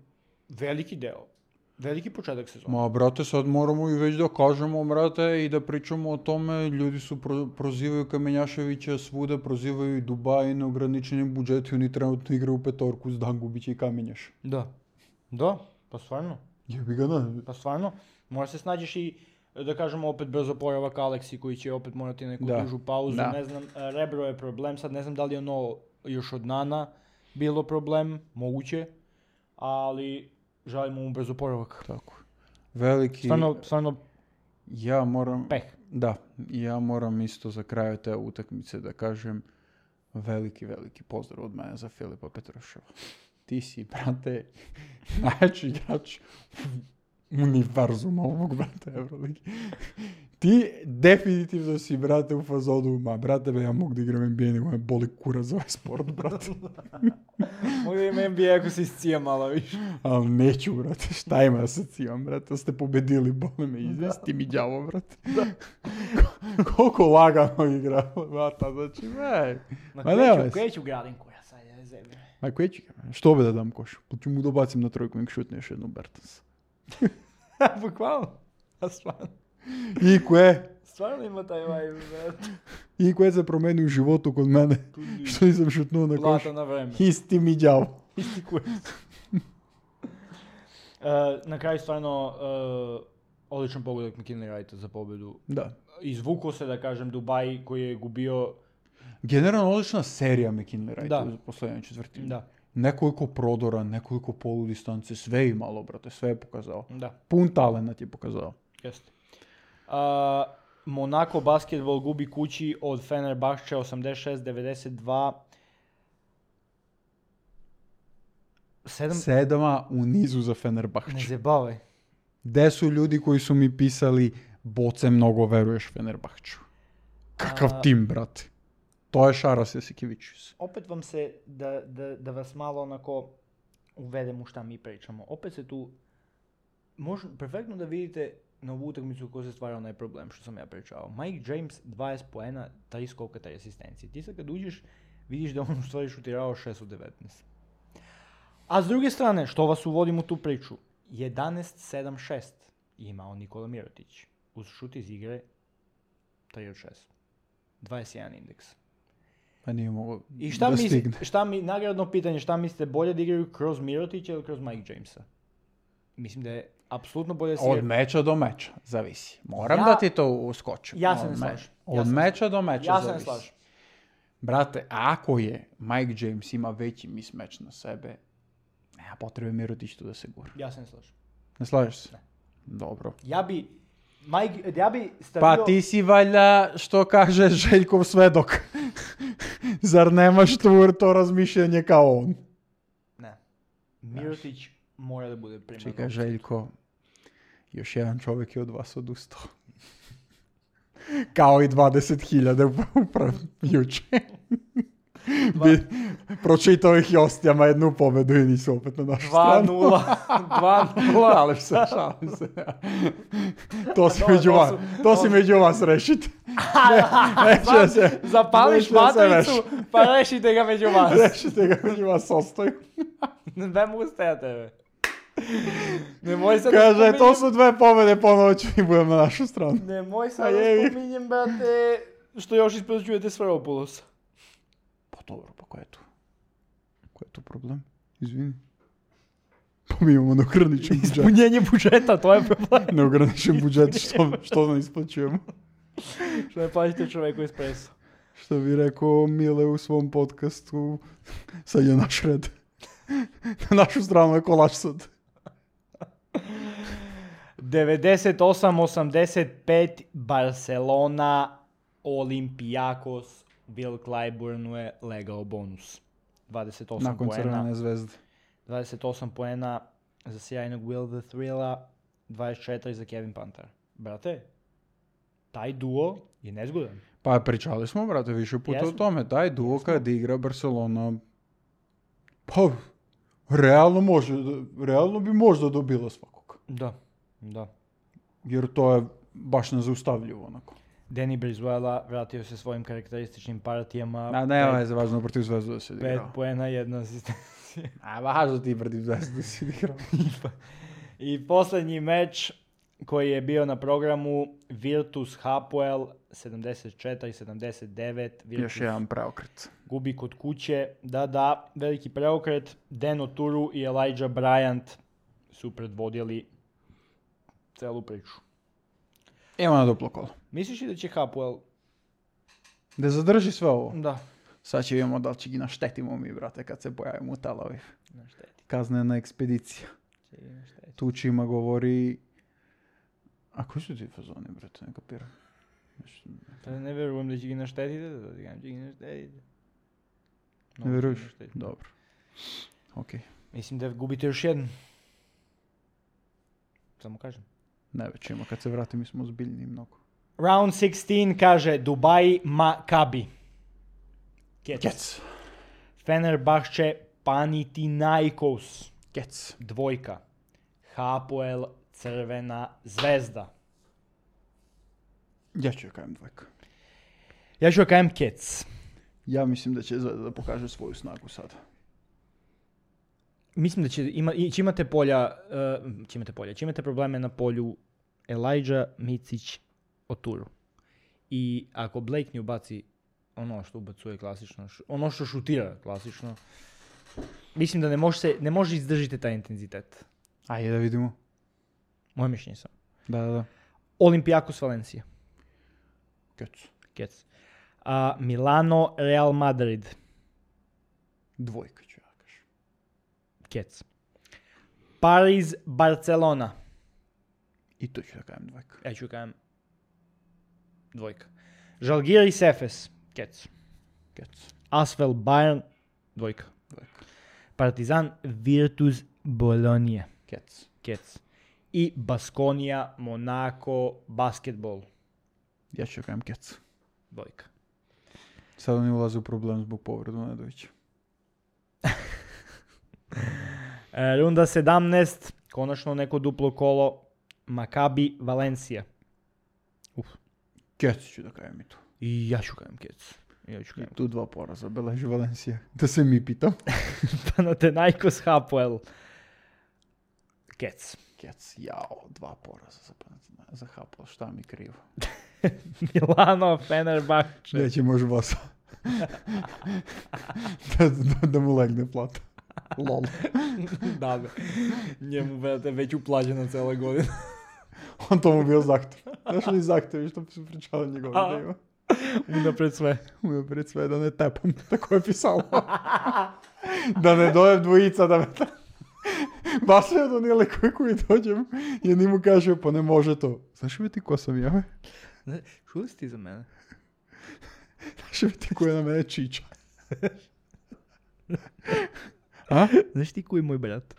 veliki deo, veliki početak sezona. Ma, brate, sad moramo i već da kažemo, brate, i da pričamo o tome, ljudi su pro, prozivaju Kamenjaševića svuda, prozivaju i Dubaj na ograničenim budžeti, oni trenutno igraju u petorku s Dangubića i Kamenjaš. Da, da, pa stvarno. Jebi ga na. Pa stvarno, možda se snađeš i, da kažemo, opet brzo poravak Aleksi koji će opet morati neku Da, dužu pauzu, da. ne znam, e, rebro je problem, sad ne znam da li je ono još od Nana bilo problem, moguće, ali želimo mu brzo poravak. Tako. Veliki... Stvarno, stvarno Ja moram... peh. Da, ja moram isto za kraj te utakmice da kažem veliki, veliki pozdrav od mene za Filipa Petruševa. Ti si, brate, najjači igrač univerzuma ovog, brate, Euroligi. Ti definitivno si, brate, u fazonu, ma, brate, be, ja mogu da igram N B A, nego me boli kura za ovaj sport, brate. Mogu da ima N B A ako se iscija malo više. Ali neću, brate, šta ima da se cijem, brate, ste pobedili, boli me, izvesti mi đavo, brate. Ko- Koliko lagano igra, brata, znači, ej. Ma Ma nema kreću, veze. kreću gradin koja sad je zemlje. Ma koji će, što bi da dam koš? Pa ću mu dobacim na trojku, nek šutne još jednu Bertans. Bukvalno. A stvarno, I koje, stvarno ima taj vibe, brate. i koje se promeni u životu kod mene, što nisam šutnuo na koš. Plata na vreme. Isti mi đavo. Isti kurac. Uh, na kraju stvarno uh, odličan pogodak McKinley Wrighta za pobedu. Da. Izvukao se, da kažem, Dubai koji je gubio... Generalno odlična serija McKinley Wrighta Da. u posljednjoj četvrtini. Da, Nekoliko prodora, nekoliko poludistance, sve je imalo, brate, sve je pokazao. da, Pun talent je pokazao. jeste. Uh, Monaco basketbol gubi kući od Fenerbahče osamdeset šest devedeset dva. Sedam... Sedama u nizu za Ne Fenerbahče. zabavaj. Gde su ljudi koji su mi pisali, Boce, mnogo veruješ Fenerbahču. Kakav A- tim, brate. To je Šaras Jasikevičius. Opet vam se, da, da, da vas malo onako uvedem u šta mi pričamo. Opet se tu, može perfektno da vidite na ovu utakmicu ko se stvara onaj problem što sam ja pričao. Mike James, dvadeset poena, tri skoka, tri asistencije. Ti sad kad uđeš, vidiš da on u stvari šutirao šest od devetnaest. A s druge strane, što vas uvodim u tu priču, jedanaest sedam šest je imao Nikola Mirotić. Uz šut iz igre tri od šest. dvadeset jedan indeks. Pa nije mogao I šta da misli, stigne. šta mi, nagradno pitanje, šta mislite, bolje da igraju kroz Mirotića ili kroz Mike Jamesa? Mislim da je apsolutno bolje da se Od igra- meča do meča, zavisi. Moram Ja- da ti to uskočim. Ja se Od ne me- slažem. Od Ja se ne meča do meča Ja se ne zavisi. slažem. Brate, ako je Mike James ima veći mismatch na sebe, nema potrebe Mirotić tu da se gura. Ja se ne slažem. Ne slažeš se? Dobro. Ja bi, Mike, ja bi stavio... Pa ti si valjda, što kaže Željkov svedok. Zar nemaš tu to razmišljanje kao on? Ne. Mirotić mora da bude primarno. Čekaj, Željko, još jedan čovjek je od vas odustao. Kao i dvadeset hiljada upravo juče. Bi, pročitao ih Jostijama jednu pobedu i nisu opet na našu dva stranu. nula. dva nula. Šalim se, šalim se. To si To- među to vas, su- to to si su- među vas rešiti. Ne, neće se, Zapališ neće da se matricu, pa rešite ga među vas. Rešite ga među vas ostaju. Ne mogu staja tebe. Nemoj sad Kaže, da to spominjem... su dve pobede, ponovo ću i budem na našu stranu. Nemoj A sad da jevi. spominjem, brate, što još ispređujete Sferopulosa. Pa dobro, pa ko je tu? Ko je tu problem? Izvini. Pa mi imamo neograničen budžet. Ispunjenje budžeta, to je problem. Neograničen budžet, što, što ne isplaćujemo. Što ne plaćate čoveku espresso. Što bi rekao Mile u svom podcastu, sad je naš red. Na našu stranu je kolač sad. devedeset osam osamdeset pet Barcelona, Olympiakos, Will Clyburnu je legao bonus. dvadeset osam Nakon poena. Crvene zvezde. dvadeset osam poena za sjajnog Will the Thrilla, dvadeset četiri za Kevin Panther. Brate, taj duo je nezgodan. Pa pričali smo, brate, više puta Jesmo. o tome. Taj duo kad igra Barcelona, pa realno može, realno bi možda dobila svakog. Da, da. Jer to je baš nezaustavljivo onako. Danny Brizuela vratio se svojim karakterističnim partijama. A nema je za važno protiv Zvezdu da se Pet igrao. poena, jedna asistencija. A važno ti protiv Zvezdu da se igrao. I posljednji meč koji je bio na programu Virtus Hapoel sedamdeset četiri sedamdeset devet. Virtus Još jedan preokret. gubi kod kuće. Da, da, veliki preokret. Deno Turu i Elijah Bryant su predvodili celu priču. Evo na duplo kolo. Misliš li da će Hapoel... Da zadrži sve ovo. Da. Sad će vidimo da li će gi naštetimo mi, brate, kad se pojavimo u Tel Aviv. Na šteti. Kaznena ekspedicija. Na šteti. Tučima govori... A koji su ti fazoni, brate, ne kapiram. Nešto- Pa ne verujem da će gi naštetiti, da ti kažem će gi naštetiti. Ne Mnogo će veruješ? gi naštetiti. Dobro. Okej. Mislim da gubite još jedan. Samo kažem. Ne već ima, kad se vratim mi smo ozbiljni mnogo. Round šesnaest kaže Dubai Maccabi. Kec. Kec. Fenerbahče Panathinaikos. Kec. Dvojka. Hapoel Crvena zvezda. Ja ću joj kajem dvojka. Ja ću kajem Kec. Ja mislim da će Zvezda da pokaže svoju snagu sada. Mislim da će, ima, i- će imate polja, uh, će imate polja, će imate probleme na polju Elijah, Micić, Oturu. I ako Blake ne ubaci ono što ubacuje klasično, š- ono što šutira klasično, mislim da ne može, se, ne može izdržiti taj intenzitet. Ajde da vidimo. Moje mišljenje sam. Da, da, da. Olympiakos Valencija. Kec. Kec. A, Milano Real Madrid. Dvojka ću ja kažem. Kec. Paris Barcelona. I to ću da kajem dvojka. Ja ću kajem dvojka. Žalgiris Efes. Kec. Kec. Asvel Bayern. Dvojka. Dvojka. Partizan Virtus Bologna. Kec. Kec. I Baskonija Monaco Basketball. Ja ću da kajem kec. Dvojka. Sad oni ulaze u problem zbog povredu Nedovića. E, runda sedamnaest. Konačno neko duplo kolo. Maccabi Valencija. Uf. Kec ću da kajem i tu. I ja ću kajem Kec. Ja ću I kajem. tu dva poraza beleži Valencija. Da se mi pitam. Panathinaikos Hapoel. Kec. Kec, jao, dva poraza za, Panathina- za Hapoel, šta mi krivo. Milano Fenerbahče. Neće može vas. da, da, da mu legne plata. Lol. Da, be. Njemu brate, već uplaćena cela godina. On to mu bio zahtev. Znaš li zahtevi što su pričali njegovi A. da ima? Unapred sve. Umio pred sve da ne tepam. Tako je pisalo. Da ne dojem dvojica da me, Васо е до ние кој кој доđem и ни му каже, па не може то. Знаеш ли ти кој сам ја, бе? Не, чули си ти за мене? Знаеш ли ти кој е на мене чича? А? Знаеш ти кој е мој брат?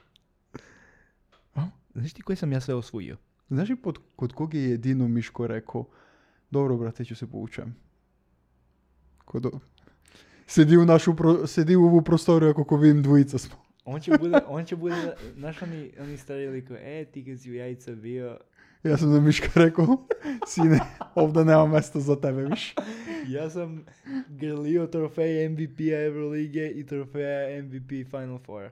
А? Знаеш ти кој сам ја све освојio? Знаеш ли под, кod кога je jedino Miško rekao, dobro brate, ću se poučem. Kod... Sedi u našu, pro... sedi u ovu prostoriju ako vidim dvojica smo. On će bude, on će bude, znaš oni, oni stari liko, e, ti kad si u jajica bio... Ja sam da Miška rekao, sine, ovdje nema mesta za tebe više. Ja sam grlio trofej M V P-a Eurolige i trofeja M V P Final Four.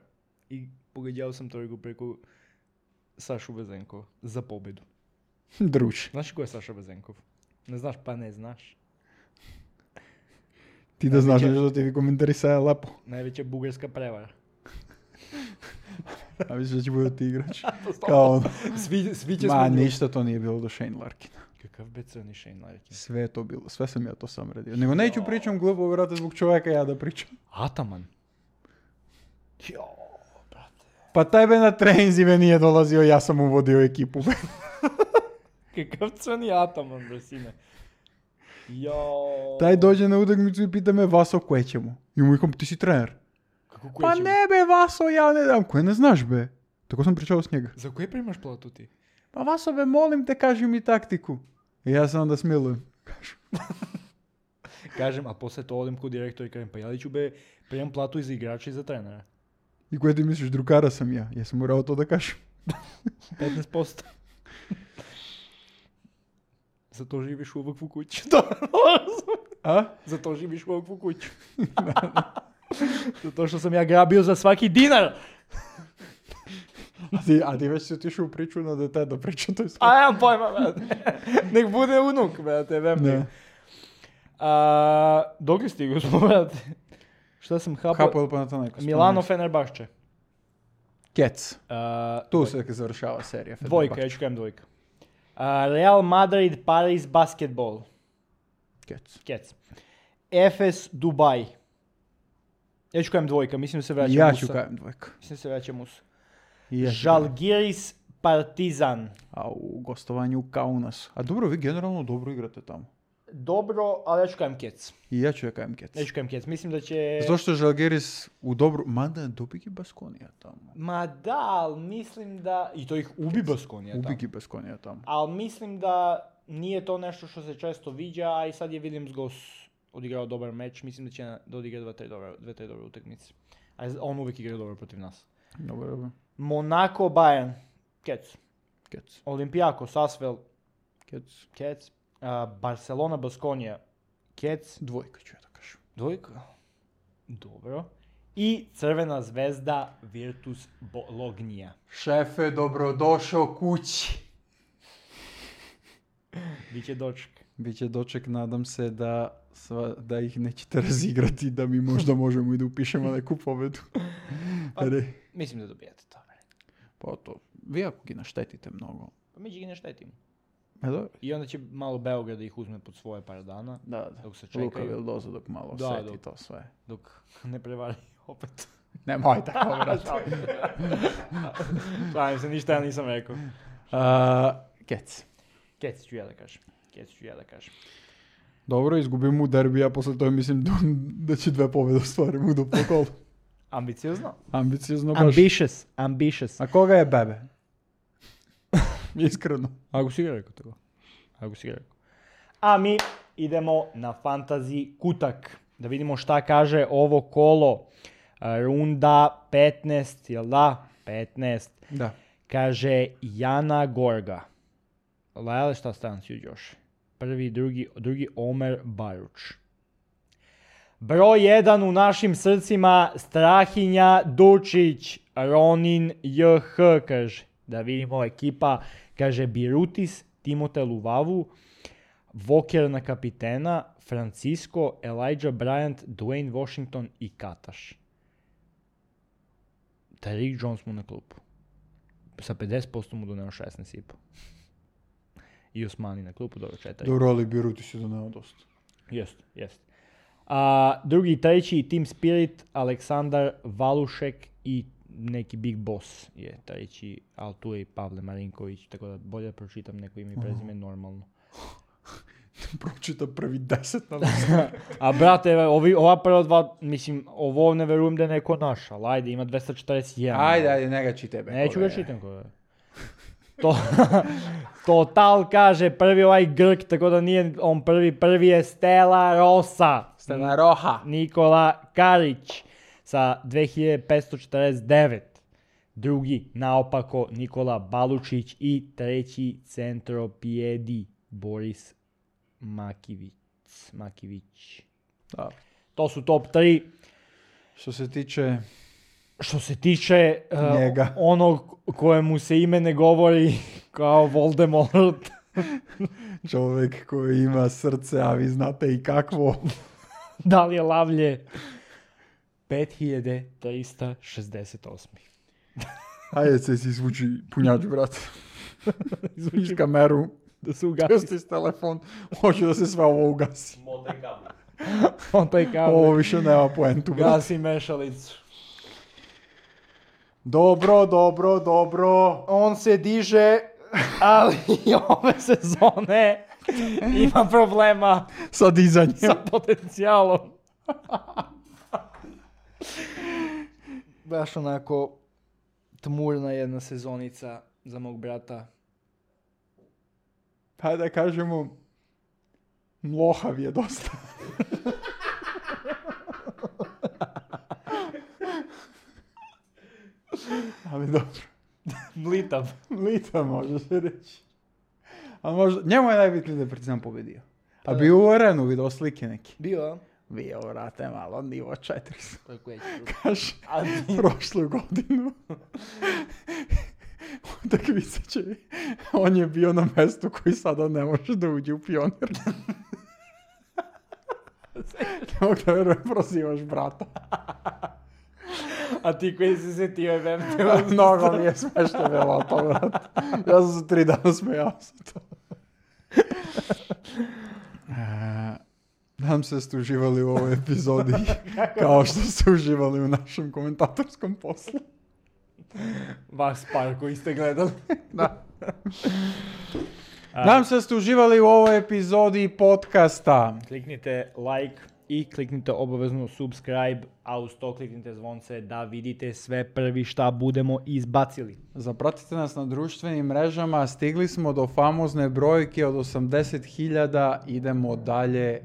I pogađao sam trojku preko Sašu Vezenkov za pobedu. Druž. Znaš ko je Saša Vezenkov? Ne znaš, pa ne znaš. Ti da znaš nešto da ti vi komentarisaju lepo. Najveća bugarska prevara. A misliš da će bude ti igrač? Kao ono. Svi, svi će Ma, smo... ništa to nije bilo do Shane Larkina. Kakav be crni Shane Larkin? Sve je to bilo, sve sam ja to sam radio. Nego neću pričam glupo, vrate, zbog čovjeka ja da pričam. Ataman. Jo, brate. Pa tebe na treninzime nije dolazio, ja sam uvodio ekipu. Kakav crni Ataman, bre, sine. Jo. Taj dođe na utakmicu i pita me, Vaso, koje ćemo? I mu ikom, ti si trener. Kako Pa koje ćemo? ne be, Vaso, ja ne dam. Koje ne znaš, be? Tako sam pričao s njega. Za koje primaš platu ti? Pa Vaso, be, molim te, kaži mi taktiku. I ja sam onda smilujem. Kažem, a posle to odem kod direktora i kažem, pa ja li ću be primam platu i za igrača i za trenera? I koje ti misliš, drugara sam ja? Ja sam morao to da kažem. petnaest posto. Zato živiš u ovakvu kuću. A? Zato živiš u ovakvu kuću. Zato što sam ja grabio za svaki dinar. A ti, a ti već si otišao u priču na dete da pričam to je sve. A ja pojma, brate. Nek bude unuk, brate, vem. Ne. A, dok li stigu smo, brate? Šta sam hapao? Hapao pa na to neko. Milano Fenerbahče. Kec. A, Tu se završava serija. Dvojka, ja ću kajem dvojka. A, Real Madrid, Paris, basketball. Kec. Kec. Efes, Dubaj. Ja ću kajem dvojka, mislim da se vraća Ja Musa. ću kajem dvojka. Mislim da se vraća Musa. I ja ću kajem. Žalgiris, Partizan. A u gostovanju u Kaunasu. A dobro, vi generalno dobro igrate tamo. Dobro, ali ja ću kajem Kec. I ja ću ja kajem Kec. Ja ću kajem Kec. Mislim da će... Zato što je Žalgiris u dobru... Mada dobigi Baskonija tamo. Ma da, ali mislim da... I to ih ubi Baskonija tamo. Ubigi Baskonija tamo. Ali mislim da nije to nešto što se često viđa, a i sad je Williams Goss odigrao dobar meč. Mislim da će na- da odigra dva, tri dobre, dve, tri dobre utakmice. A on uvijek igra dobro protiv nas. Dobro, dobro. Monaco, Bayern. Kec. Kec. Olympiakos, Asvel. Kec. Kec. A, Barcelona, Baskonija. Kec. Dvojka ću ja da kažem. Dvojka. Dobro. I Crvena zvezda, Virtus Bologna. Šefe, dobrodošao kući. Biće doček. Biće doček, nadam se da, sva, da ih nećete razigrati, da mi možda možemo i da upišemo neku pobedu. Pa, Re. mislim da dobijete to. Pa to, vi ako gi naštetite mnogo. Pa mi će gi ne štetimo. E dobro. I onda će malo Beograd da ih uzme pod svoje par dana, Da, da. dok se čekaju. Luka Vildoza dok malo Da, osjeti dok- to sve. dok ne prevari opet. Nemoj tako, brate. Šalim se, ništa ja nisam rekao. Uh, Kec. Kec ću ja da kažem. Kec ću ja da kažem. Dobro, izgubimo derbi, a posle toga mislim da, da će dve pobjede ostvarimo u duplom kolu. Ambiciozno? Ambiciozno baš. Ambitious, ambitious. A koga je bebe? Iskreno. Ako si ga rekao tako. Ako si ga rekao. A mi idemo na fantasy kutak. Da vidimo šta kaže ovo kolo. A, Runda petnaest, jel da? petnaest. Da. Kaže Jana Gorga. Lajale šta stan si još? Prvi, drugi, drugi Omer Baruč. Broj jedan u našim srcima Strahinja Dučić. Ronin J H kaže. Da vidimo ekipa. Kaže Birutis, Timote Luvavu, Voker na kapitena, Francisco, Elijah Bryant, Dwayne Washington i Kataš. Tariq Jones mu na klupu. Sa pedeset posto mu doneo šesnaest i po. I Osmani na klupu, dobro četiri. Dobro, ali Biruti si doneo dosta. Jest, jest. A, drugi i treći Team Spirit, Aleksandar Valušek i neki Big Boss je treći, ali tu je i Pavle Marinković, tako da bolje da pročitam neko ime i prezime normalno. Pročita prvi deset na A brate, ovi, ova prva dva, mislim, ovo ne verujem da je neko naš, ali ajde, ima dvesta četrdeset jedan. Ajde, ajde, ne ga čitebe. Neću ga čitam koga. To, Total kaže prvi ovaj Grk, tako da nije on prvi, prvi je Stella Rosa. Stella Roha. Nikola Karić sa dve hiljade petsto četrdeset devet. Drugi, naopako, Nikola Balučić i treći centropijedi Boris Makivić. Makivić. Da. To su top tri. Što se tiče Što se tiče uh, njega, onog kojemu se ime ne govori kao Voldemort. čovjek koji ima srce, a vi znate i kakvo. Da li je lavlje? pet hiljada trista šezdeset osam. Ajde se si izvuči punjač, brat. Izvuči kameru, Da se ugasi. pustiš telefon, hoću da se sve ovo ugasi. Motaj kabel. On taj kabel. Ovo više nema poentu, brat. Gasi mešalicu. Dobro, dobro, dobro. On se diže, ali ove sezone ima problema Sa dizanjem. sa potencijalom. Baš onako tmurna jedna sezonica za mog brata. Hajde da kažemo, mlohav je dosta. Ali dobro. Mlitav. Lita može se reći. A možda, njemu je najbitnije da je Partizan pobedio. A bio u arenu, vidio slike neki. Bio, a? Bio, vrate, malo, nivo četiristo. Tako je. Kaže, A ti- prošlu godinu. Utakmica će, on je bio na mjestu koji sada ne može da uđe u Pionir. Ne mogu da verujem, prozivaš brata. A ti koji se setio je vem Mnogo mi je smešno bilo to, brat. Ja sam se tri dana smejao sa to. E, Nadam se da ste uživali u ovoj epizodi kao što ste uživali u našem komentatorskom poslu. Vas par koji ste gledali. Da. Nadam se da ste uživali u ovoj epizodi podcasta. Kliknite like i kliknite obavezno subscribe, a uz to kliknite zvonce da vidite sve prvi šta budemo izbacili. Zapratite nas na društvenim mrežama, stigli smo do famozne brojke od osamdeset hiljada, idemo dalje,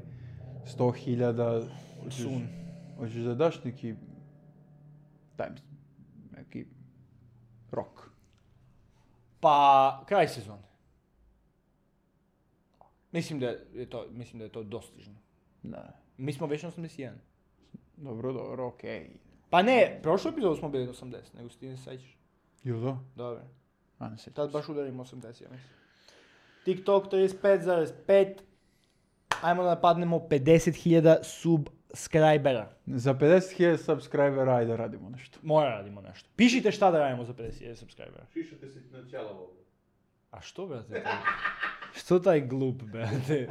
sto hiljada. Soon. Hoćeš da daš neki, daj mi neki rok. Pa, kraj sezone. Mislim da je to, mislim da je to dostižno. Da. Mi smo već na osamdeset jedan. Dobro, dobro, okej. Pa ne, prošlu epizodu smo bili na osamdeset, nego si ti ne sećaš. Jel da? Dobro. A, ne sjećam Tad se. baš udarimo osamdeset, ja mislim. TikTok trideset pet zarez pet. Ajmo da napadnemo pedeset hiljada subscribera. Za pedeset hiljada subscribera, ajde radimo nešto. Mora radimo nešto. Pišite šta da radimo za pedeset hiljada subscribera. Šišate se na ćelavo. A što, brate? Taj? Što taj glup, brate?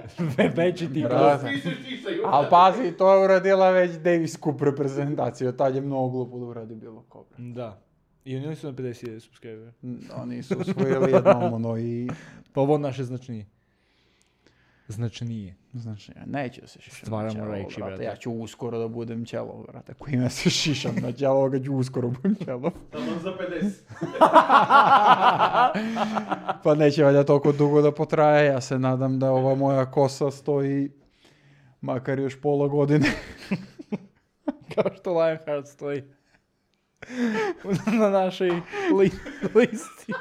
Veći ti glup. Brate. Ti se štisa, Ali pazi, to je uradila već Davis Cup reprezentaciju, tad je mnogo glupo da uradi bilo ko. bre. Da. I oni su na pedeset hiljada subscribera. Mm, Oni su osvojili jednom, ono, i... Pa ovo naše značnije. Značnije. Znači, ja neću da se šišam Stvaramo na ćelo, reči, brate. brate. Ja ću uskoro da budem ćelo, brate. Ako ime se šišam na ćelo, ovoga ću uskoro budem ćelo. Taman za pedeset. Pa neće valjda toliko dugo da potraje. Ja se nadam da ova moja kosa stoji makar još pola godine. Kao što Lionheart stoji na našoj li- listi.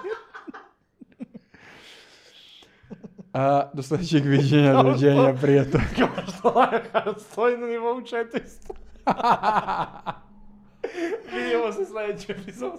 A, do sljedećeg viđenja, doviđenja, prijatelj. Kao što Lionheart stoji na nivou četiristo. Vidimo se sljedeći epizod.